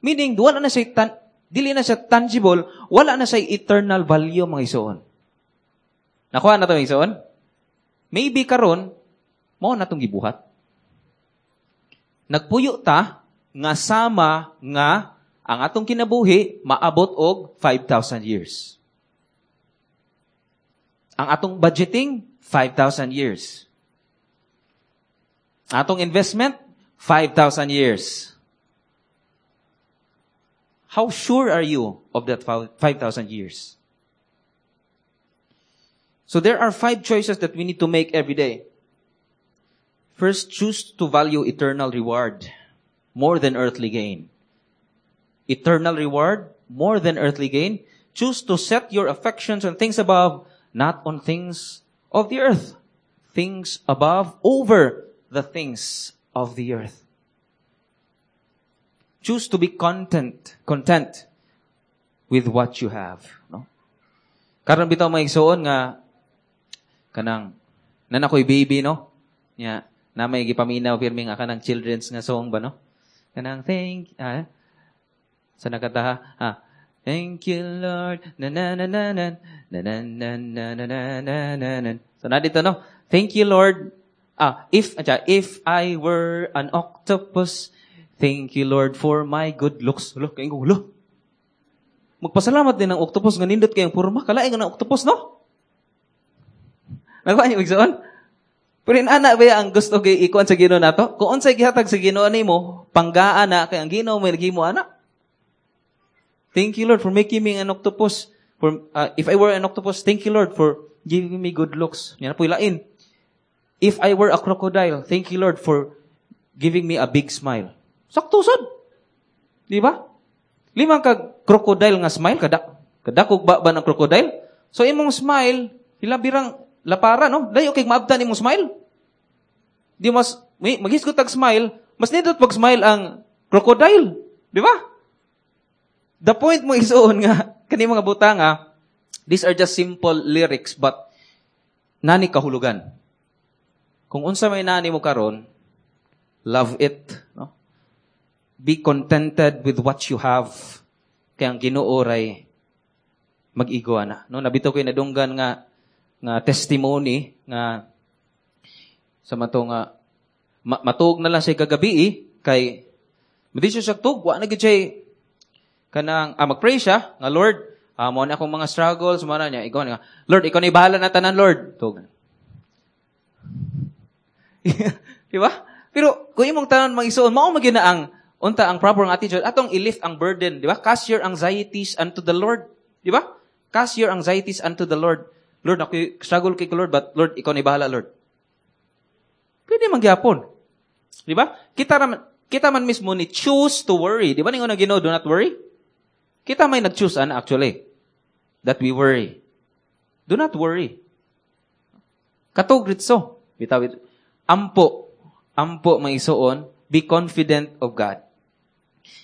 Meaning, wala na siya tan- dili na siya tangible, wala na siya eternal value, mga isuon. Nakuha na ito, mga isuon? Maybe karon, mao na itong gibuhat. Nagpuyo ta, nga sama nga ang atong kinabuhi, maabot og five thousand years. Ang atong budgeting, five thousand years. Atong investment, five thousand years. How sure are you of that five thousand years? So there are five choices that we need to make every day. First, choose to value eternal reward more than earthly gain. Eternal reward more than earthly gain. Choose to set your affections on things above, not on things of the earth. Things above over the things of the earth. Choose to be content, content with what you have. No? Karon bitaw mga igsoon nga kanang nana ko'y baby, no? Nya, na may gipaminaw pirmi nga kanang children's nga song ba, no? Kanang thank, ah, sa nakataha, ah, thank you Lord, na na na na na na na na na na na na na na. So na dito, no? Thank you Lord. Ah, if, adya, if I were an octopus, thank you Lord for my good looks. Look, kay gulo. Magpasalamat din ang octopus nga nindot kayong porma. Kalain nga ng octopus, no? Nakuha niyo igsoon? Pero inana ba ang gusto kay ikuan sa Ginoo nato? Kung unsay gihatag sa Ginoo nimo, panggaan na kay ang Ginoo may naghimo ana. Thank you Lord for making me an octopus. For uh, if I were an octopus, thank you Lord for giving me good looks. Yan po ilain. If I were a crocodile, thank you Lord for giving me a big smile. Sakto sad. Di ba? Limang ka crocodile nga smile kada kadakog ba ba ng crocodile? So imong smile, hilabirang lapara, no? Dayo kay maabtan imong smile. Di mas may maghisgot tag smile, mas nindot pag smile ang crocodile, di ba? The point mo isuon nga kani mga butang nga these are just simple lyrics but nani kahulugan. Kung unsa may nani mo karon, love it, no? Be contented with what you have. Kay ang Ginoo ray mag-igo ana, no? Nabito ko'y nadunggan nga nga testimony nga sa mato nga ma- matuog na lang siya kagabi eh, kay madi siya siya tug, wa na gyud siya kanang ah, magpray siya nga Lord, ah, mo na akong mga struggles mo na niya ikaw nga Lord, ikaw na bahala na tanan Lord. Tug. Di ba? Pero kung imong tanan magisuon, mao man gyud na ang unta ang proper nga attitude atong i-lift ang burden, di ba? Cast your anxieties unto the Lord, di ba? Cast your anxieties unto the Lord. Lord, ako struggle kay ko, Lord, but Lord, ikaw na bahala, Lord. Pwede man gyapon. Di ba? Kita man, kita man mismo ni choose to worry. Di ba ningon ang Ginoo, do not worry? Kita may nag-choose ana actually that we worry. Do not worry. Katog ritso. Bitaw ampo, ampo maisuon, be confident of God.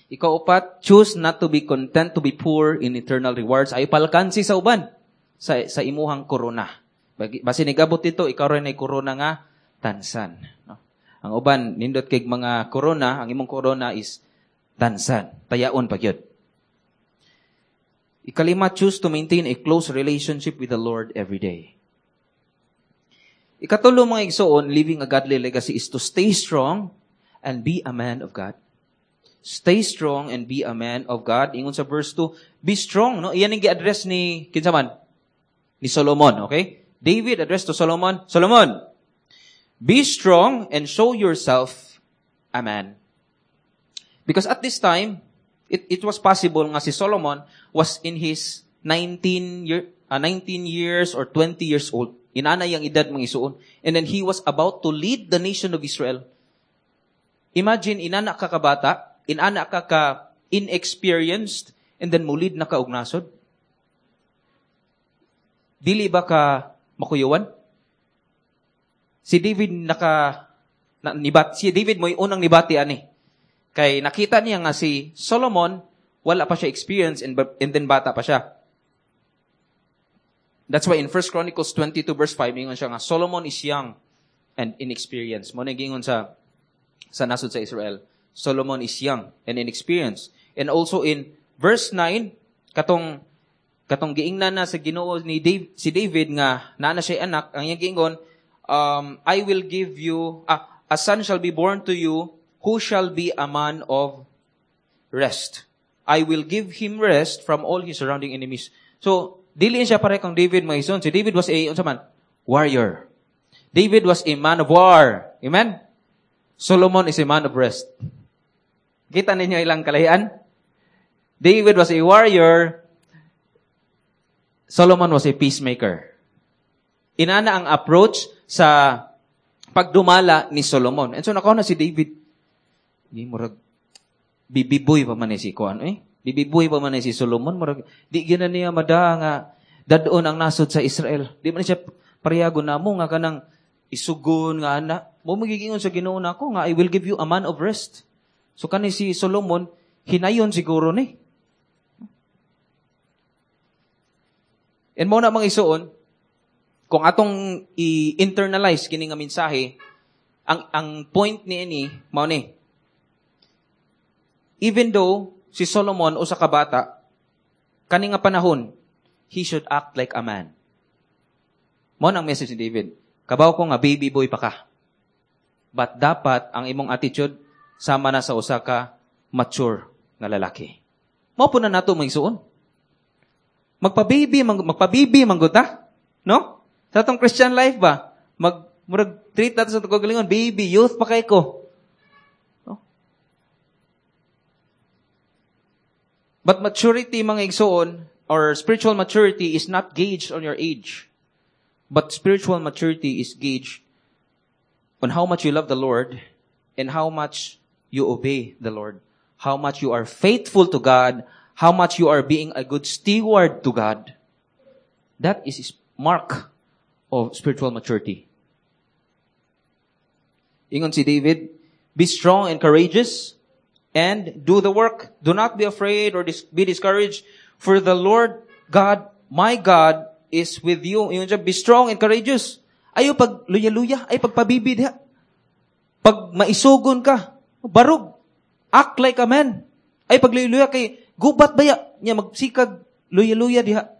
Ikaupat, choose not to be content to be poor in eternal rewards. Ay palkansi sa uban sa sa imuhang korona. Basi nigabot dito, ikaw rin ay korona nga tansan. No? Ang uban, nindot kay mga korona, ang imong korona is tansan. Tayaon pa gyud. Ikalima, choose to maintain a close relationship with the Lord every day. Ikatulo mga igsoon, living a godly legacy is to stay strong and be a man of God. Stay strong and be a man of God. Ingon sa verse two, be strong, no? Iyan ang gi-address ni kinsa man? Ni Solomon, okay? David addressed to Solomon, Solomon, be strong and show yourself a man. Because at this time, it, it was possible nga si Solomon was in his nineteen year, uh, nineteen years or twenty years old. Inana yang edad mga isuon. And then he was about to lead the nation of Israel. Imagine, inana ka kabata, inana ka ka inexperienced, and then mulid na ka og nasod. Dili ba ka makuyuan? Si David naka na, nibat, si David mo'y unang nibati ani. Kay nakita niya nga si Solomon wala pa siya experience and, and then bata pa siya. That's why in First Chronicles twenty-two verse five ingon siya nga Solomon is young and inexperienced. Mo na gingon sa sa nasod sa Israel. Solomon is young and inexperienced. And also in verse nine katong katong giingnan na sa Ginoo ni Dave, si David nga naa na siya anak, ang iyang giingon, um, I will give you, ah, a son shall be born to you who shall be a man of rest. I will give him rest from all his surrounding enemies. So, dili siya pare kang David mga ison. Si David was a, unsa man? Warrior. David was a man of war. Amen? Solomon is a man of rest. Kita ninyo ilang kalahian? David was a warrior. Solomon was a peacemaker. Inana ang approach sa pagdumala ni Solomon. And so nakaw na si David. Di murag bibiboy pa man ni si kuan eh. Bibiboy pa man ni si Solomon murag di gyud na niya mada nga dad-on ang nasod sa Israel. Di man siya parehago namo nga kanang isugon nga ana. Mo magigingon sa Ginoo nako nga I will give you a man of rest. So kani si Solomon hinayon siguro ni. And mo na mga isuon, kung atong i-internalize kini nga mensahe, ang ang point niini mao ni. Even though si Solomon usa ka bata, kani nga panahon, he should act like a man. Mao nang message ni David. Kabaw ko nga baby boy pa ka. But dapat ang imong attitude sama na sa usa ka mature nga lalaki. Mao po na nato mga isuon. Magpa-baby, mag, magpa-baby manggod ta, no? Sa atong Christian life ba? Mag murag treat nato sa atong kagalingon, baby, youth pa kay ko. No? But maturity mga igsoon or spiritual maturity is not gauged on your age. But spiritual maturity is gauged on how much you love the Lord and how much you obey the Lord. How much you are faithful to God, how much you are being a good steward to God. That is mark of spiritual maturity. Ingon si David, be strong and courageous and do the work. Do not be afraid or dis- be discouraged, for the Lord God, my God, is with you. Ingon siya, be strong and courageous. Ayo pag luya-luya, ay pagpabibid ha. Pag maisugon ka, barug, act like a man. Ay pag luya-luya kay gubat baya niya magsikag luya-luya diha.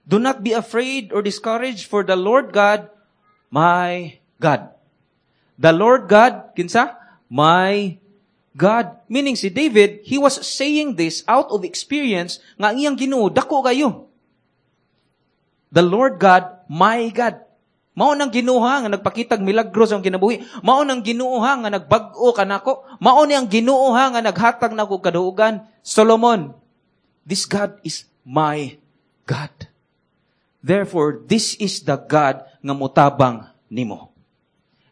Do not be afraid or discouraged, for the Lord God, my God. The Lord God, kinsa? My God. Meaning si David, he was saying this out of experience nga ang iyang Ginoo dako kayo. The Lord God, my God. Mao nang Ginoo nga nagpakitag milagro sa akong kinabuhi. Mao nang Ginoo nga nagbag-o kanako. Mao ni ang Ginoo nga naghatag nako kaduugan. Solomon, this God is my God. Therefore, this is the God nga motabang nimo.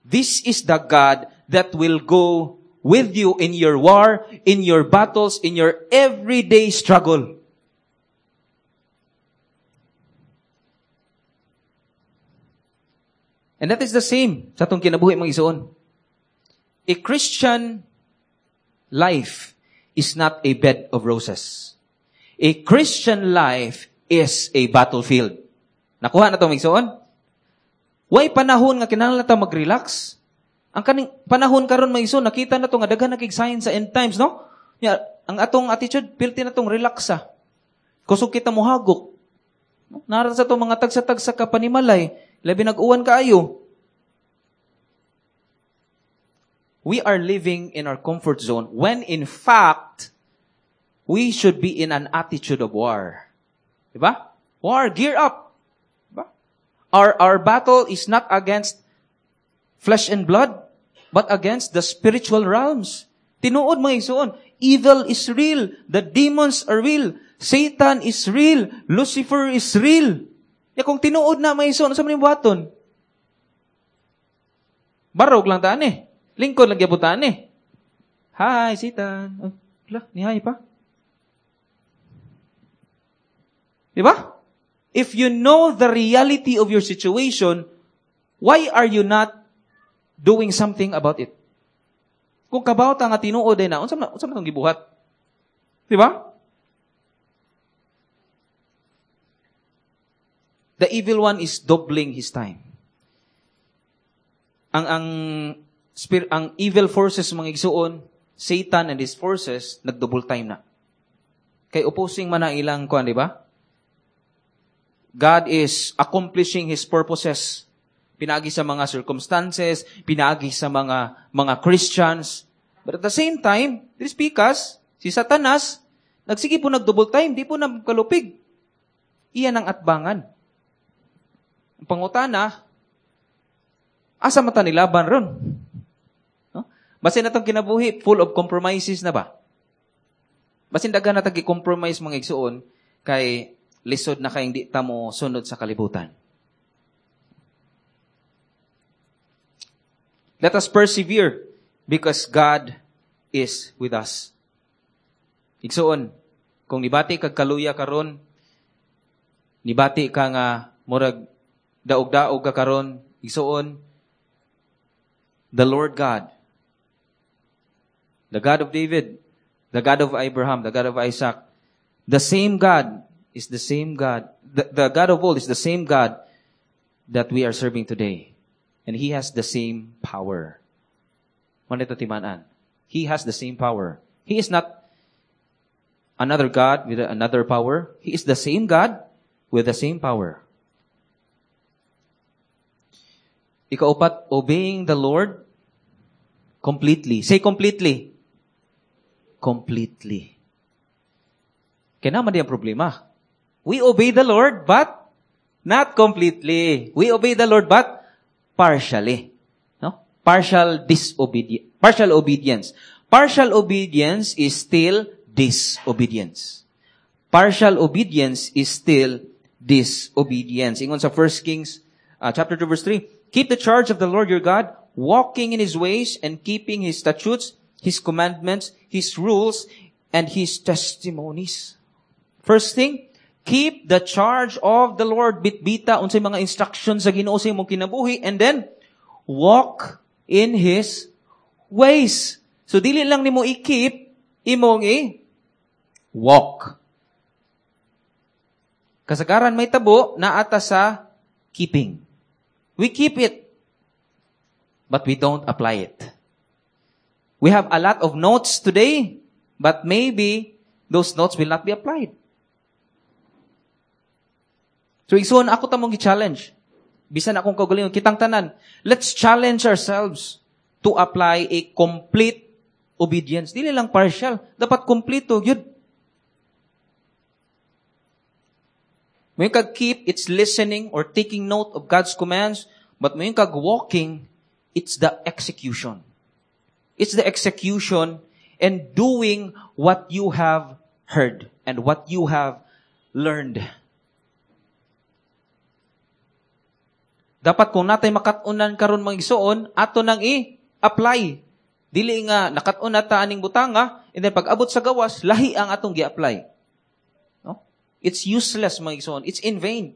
This is the God that will go with you in your war, in your battles, in your everyday struggle. And that is the same sa atong kinabuhi mga igsoon. A Christian life is not a bed of roses. A Christian life is a battlefield. Nakuha na ito mga igsoon? Way panahon nga kinahanglan ta mag-relax. Ang kaning panahon karon mga igsoon, nakita na to nga daghan na kig signs sa end times, no? Ya, ang atong attitude pilti na tong relax ah. Kusog kita mohagok. No? Nara sa itong mga tagsa-tagsa ka panimalay, labi nag-uwan kaayo. We are living in our comfort zone when in fact, we should be in an attitude of war. Diba? War, gear up. Diba? Our, our battle is not against flesh and blood, but against the spiritual realms. Tinuod mga igsoon, evil is real. The demons are real. Satan is real. Lucifer is real. Ya kung tinuod na mga igsoon, unsa man buhaton? Barog lang taan eh. Lingkod lang gyapon taan eh. Hi, Satan. Oh, wala, ni hi pa. Diba? If you know the reality of your situation, why are you not doing something about it? Kung kabaw ta nga tinuod ay na, unsa man unsa man tong gibuhat? Diba? The evil one is doubling his time. Ang ang spir, ang evil forces mga igsuon, Satan and his forces nag-double time na. Kay opposing man na ilang kuan, di ba? God is accomplishing His purposes. Pinaagi sa mga circumstances, pinaagi sa mga mga Christians. But at the same time, this because si Satanas, nagsige po nag-double time, di po na kalupig. Iyan ang atbangan. Ang pangutana, Asa man ta nilaban ron? No? Basin atong kinabuhi, full of compromises na ba? Basin daghan na tag compromise mga igsuon kay lisod na kay hindi ta mo sunod sa kalibutan. Let us persevere because God is with us. Igsuon, kung nibati kag kaluya karon, nibati ka nga murag daog-daog ka karon, igsuon, the Lord God, the God of David, the God of Abraham, the God of Isaac, the same God is the same God. The, the God of old is the same God that we are serving today. And He has the same power. Manito timan-an. He has the same power. He is not another God with another power. He is the same God with the same power. Ikaupat, obeying the Lord completely. Say completely. Completely. Kaya naman di ang problema. We obey the Lord, but not completely. We obey the Lord, but partially. No? Partial disobedience. Partial obedience. Partial obedience is still disobedience. Partial obedience is still disobedience. Ingon sa First Kings uh, chapter two verse three, keep the charge of the Lord your God, walking in His ways and keeping His statutes, His commandments, His rules, and His testimonies. First thing, keep the charge of the Lord. Bitbita unsay mga instructions sa Ginoo sa imong kinabuhi, and then walk in His ways. So dili lang nimo i-keep, imong i-walk. Kasagaran may tabo naata sa keeping. We keep it, but we don't apply it. We have a lot of notes today, but maybe those notes will not be applied. So, igsuon ako tamong gi-challenge. Bisan akong kaugalingon, kitang tanan, let's challenge ourselves to apply a complete obedience. Dili lang partial. Dapat kompleto. Yun. May kag keep, it's listening or taking note of God's commands, but may kag walking, it's the execution. It's the execution and doing what you have heard and what you have learned. Dapat kung natay makat-unan karon mga igsoon, ato nang i-apply. Dili nga nakat-un na ta aning butanga, and then pag abot sa gawas, lahi ang atong gi-apply. No? It's useless, mga igsoon. It's in vain.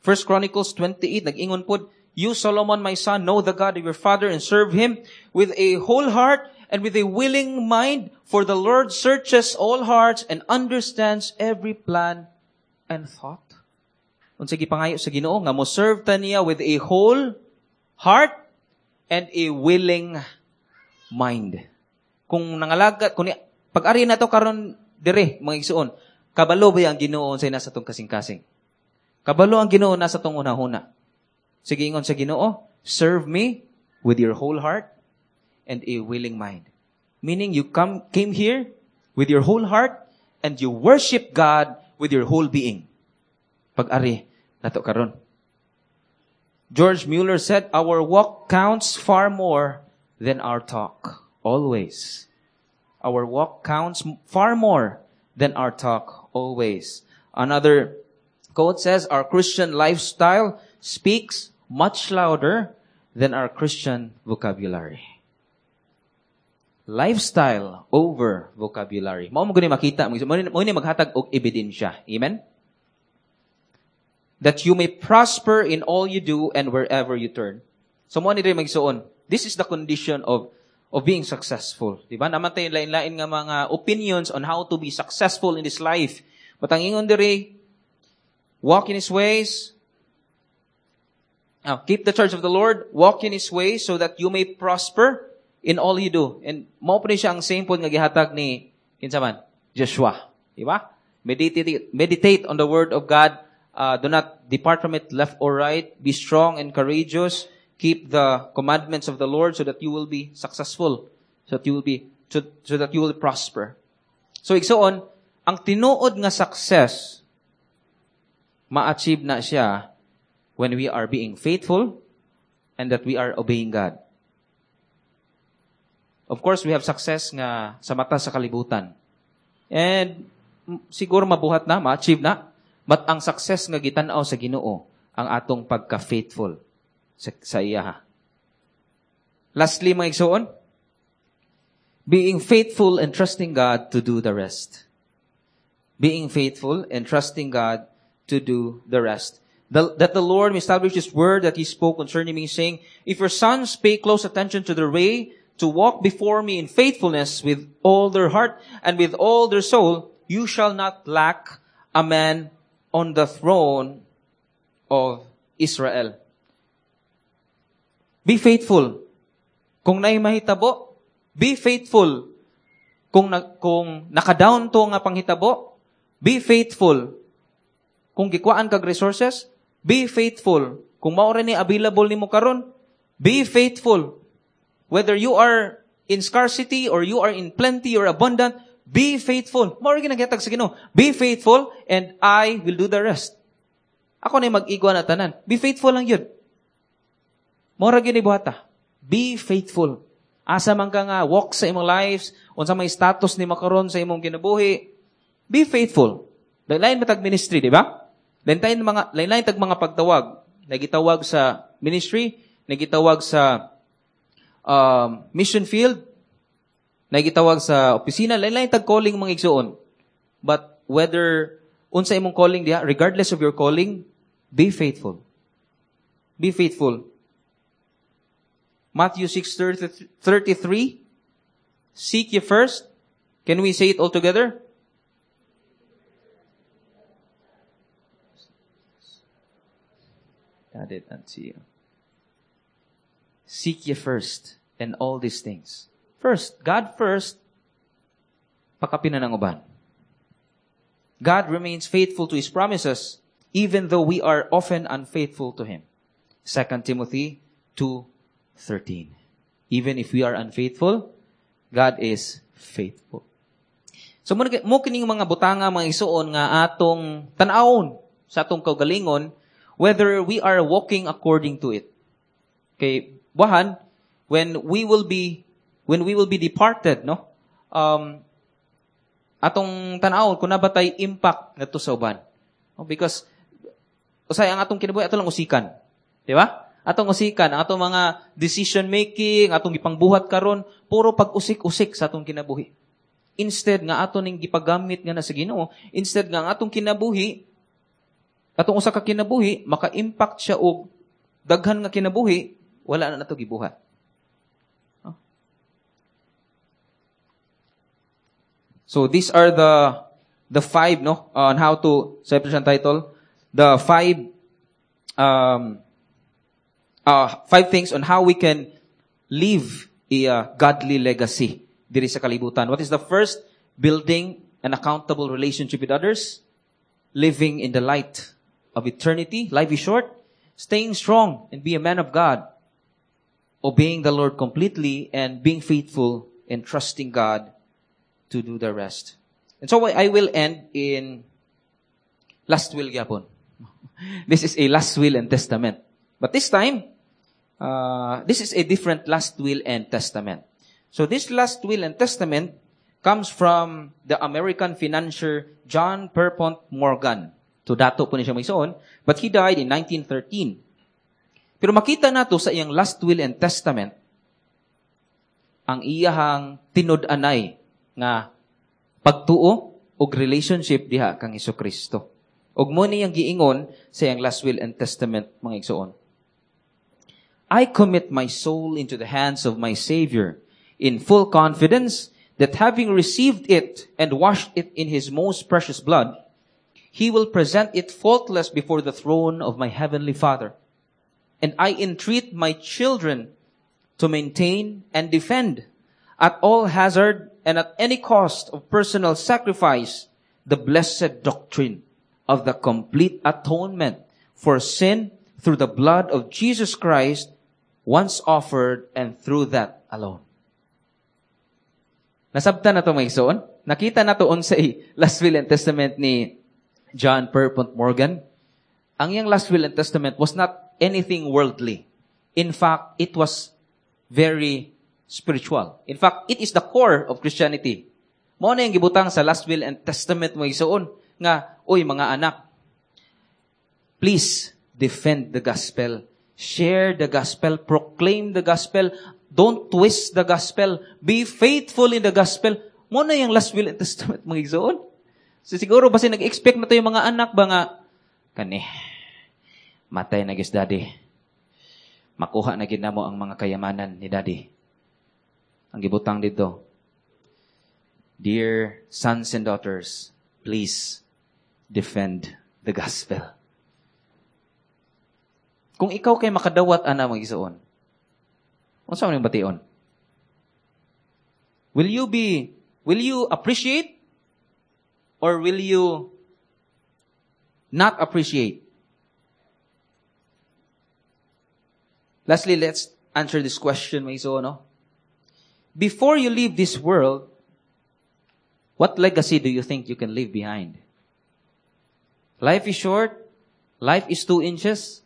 First Chronicles twenty-eight, nag-ingon pod, You, Solomon, my son, know the God of your father and serve him with a whole heart and with a willing mind, for the Lord searches all hearts and understands every plan and thought. Unsa gipangayo sa Ginoo nga mo serve ta niya with a whole heart and a willing mind. Kung nangalagat, kung ni, pag-ari na to karon dire mga igsuon, kabalo ba ang Ginoo unsay nasa tong kasing-kasing? Kabalo ang Ginoo nasa tong unahuna. Sige, ingon sa Ginoo, serve me with your whole heart and a willing mind. Meaning you come came here with your whole heart and you worship God with your whole being. Pag-ari nato karon. George Mueller said, our walk counts far more than our talk. Always. Our walk counts far more than our talk. Always. Another quote says, our Christian lifestyle speaks much louder than our Christian vocabulary. Lifestyle over vocabulary. Mao mo guni makita, mo ni maghatag og ebidensya. Amen? That you may prosper in all you do and wherever you turn. So mo ni diri magsuon. This is the condition of of being successful. Diba? Naman tayo lain-lain nga mga opinions on how to be successful in this life. But ang ingon diri, walk in His ways, now, keep the charge of the Lord, walk in His ways so that you may prosper in all you do. And mao pa ni siya ang same point nga gihatag ni kinsa man? Joshua. Diba? Meditate, meditate on the word of God. Uh, do not depart from it left or right. Be strong and courageous. Keep the commandments of the Lord so that you will be successful, so that you will be, so, so that you will prosper. So igsoon, ang tinuod nga success, ma-achieve na siya When we are being faithful and that we are obeying God. Of course, we have success nga sa mata sa kalibutan. And siguro mabuhat na, ma-achieve na. But ang success nga gitan-aw sa Ginoo, ang atong pagka-faithful sa, sa iya. Lastly, mga igsoon, being faithful and trusting God to do the rest. Being faithful and trusting God to do the rest. The, that the Lord may establish His word that He spoke concerning me, saying, If your sons pay close attention to their way, to walk before me in faithfulness with all their heart and with all their soul, you shall not lack a man on the throne of Israel. Be faithful. Kung naay mahitabo, be faithful. Kung, na, kung naka-down to nga panghitabo, be faithful. Kung gikuhaan kag resources, be faithful. Kung mao ni available nimo karon, be faithful. Whether you are in scarcity or you are in plenty or abundant, be faithful. Mao ra ginaghatag sa Ginoo. Be faithful and I will do the rest. Ako na mag-igwa na tanan. Be faithful lang yun. Mao ra gyud buhata. Be faithful. Asa man ka nga walk sa imong lives, unsa may status nimo karon sa imong kinabuhi, be faithful. Lain-lain matag ministry, di ba? Lain-lain mga lain-lain tag mga pagtawag. Nagitawag sa ministry, nagitawag sa um, mission field, nagitawag sa opisina, lain-lain tag calling mga igsuon. But whether unsa imong calling diha, regardless of your calling, be faithful. Be faithful. Matthew six thirty-three, seek ye first. Can we say it all together? Add it unto you. Seek ye first and all these things. First, God first, pakapinan ang uban. God remains faithful to His promises, even though we are often unfaithful to Him. Second Timothy two thirteen. Even if we are unfaithful, God is faithful. So, mo kining mga butanga, mga isuon nga atong tan-awon sa atong kaugalingon, whether we are walking according to it. Okay, buwahan, when we will be, when we will be departed, no? Um, atong tan-awon kung na ba tay impact ngadto sa uban. No? Because usay ang atong kinabuhi ato lang usikan. Di ba? Atong usikan, ang atong mga decision making, atong gipangbuhat karon, puro pag-usik-usik sa atong kinabuhi. Instead nga ato ning gipagamit nga na sa Ginoo, instead nga ang atong kinabuhi, atong usa ka kinabuhi, maka-impact siya og daghan nga kinabuhi, wala na nato gibuhat. So these are the the five, no, on how to, sa siyang title, the five um uh, five things on how we can leave a uh, godly legacy diri sa kalibutan. What is the first? Building an accountable relationship with others, living in the light of eternity. Life is short. Staying strong and be a man of God, obeying the Lord completely and being faithful and trusting God to do the rest. And so I will end in last will gyapon. This is a last will and testament. But this time, uh, this is a different last will and testament. So this last will and testament comes from the American financier John Pierpont Morgan. So dato po ni siya may-suon, but he died in nineteen thirteen. Pero makita nato sa iyang last will and testament ang iyahang tinud-anay nga pagtuo og relationship diha kang Hesukristo. Og mo niyang giingon sa iyang last will and testament, mga igsoon. I commit my soul into the hands of my Savior in full confidence that having received it and washed it in His most precious blood, He will present it faultless before the throne of my heavenly Father. And I entreat my children to maintain and defend at all hazard and at any cost of personal sacrifice the blessed doctrine of the complete atonement for sin through the blood of Jesus Christ once offered and through that alone. Nasabtan na ito, mga igsoon. Nakita na to unsay last will and testament ni John Pierpont Morgan. Ang iyang last will and testament was not anything worldly. In fact, it was very spiritual. In fact, it is the core of Christianity. Mao na yung gibutang sa last will and testament mo igsuon nga, uy mga anak, please defend the gospel. Share the gospel. Proclaim the gospel. Don't twist the gospel. Be faithful in the gospel. Mao na yung last will and testament mga igsuon. So siguro basi nag-expect na to yung mga anak ba nga, kani, matay na gyud daddy. Makuha na gyud namo ang mga kayamanan ni daddy. Ang gibutang dito, Dear sons and daughters, please defend the gospel. Kung ikaw kay makadawat ana mga igsuon, unsa man yung bation? Will you be will you appreciate or will you not appreciate? Lastly, let's answer this question, mga igsuon, no? Before you leave this world, what legacy do you think you can leave behind? Life is short. Life is two inches.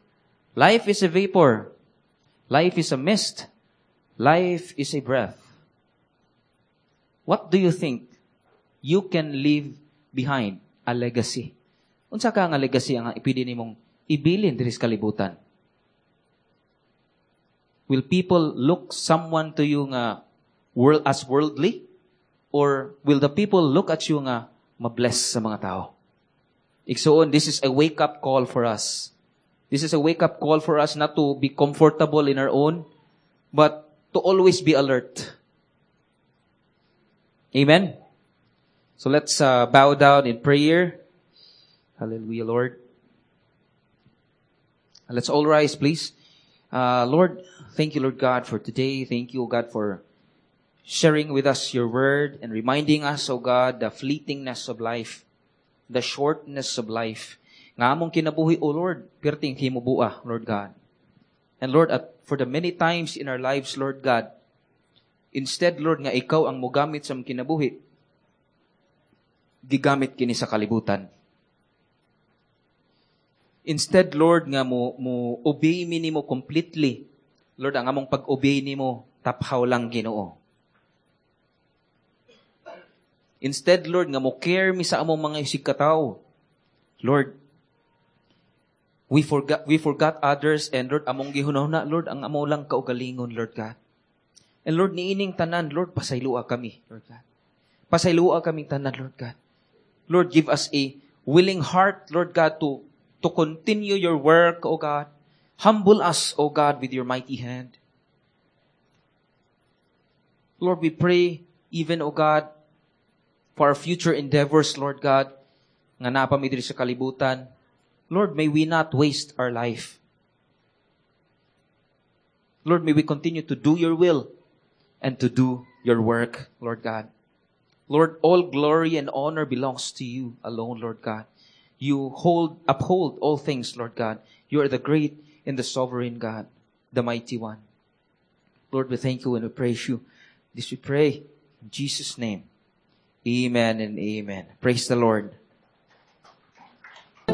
Life is a vapor. Life is a mist. Life is a breath. What do you think you can leave behind? A legacy. Unsa ka nga legacy ang ipili nimong ibilin diri sa kalibutan? Will people look someone to you nga world as worldly? Or will the people look at you nga mabless sa mga tao? Igsuon, this is a wake-up call for us. This is a wake-up call for us not to be comfortable in our own, but to always be alert. Amen? So let's uh, bow down in prayer. Hallelujah, Lord. Let's all rise, please. Uh, Lord, thank you, Lord God, for today. Thank you, God, for sharing with us your word and reminding us, O God, the fleetingness of life, the shortness of life. Nga among kinabuhi, O Lord, perting himubua, Lord God. And Lord, at for the many times in our lives, Lord God, instead, Lord, nga ikaw ang mugamit sa among kinabuhi, gigamit kini sa kalibutan. Instead, Lord, nga mo, mo obey mi nimo completely. Lord, ang among pag-obey nimo, taphaw lang Ginoo. Instead, Lord, nga mo care mi sa among mga isigkatawo. Lord, we forgot, we forgot others and Lord, among gihunahuna, Lord, ang amo lang kaugalingon, Lord God. And Lord, niining tanan, Lord, pasaylua kami, Lord God. Pasaylua kami tanan, Lord God. Lord, give us a willing heart, Lord God, to, to continue your work, O God. Humble us, O God, with your mighty hand. Lord, we pray, even, O God, for our future endeavors, Lord God, nga naa pa mi diri sa kalibutan. Lord, may we not waste our life. Lord, may we continue to do your will and to do your work, Lord God. Lord, all glory and honor belongs to you alone, Lord God. You hold, uphold all things, Lord God. You are the great and the sovereign God, the mighty one. Lord, we thank you and we praise you. This we pray in Jesus' name. Amen and amen. Praise the Lord.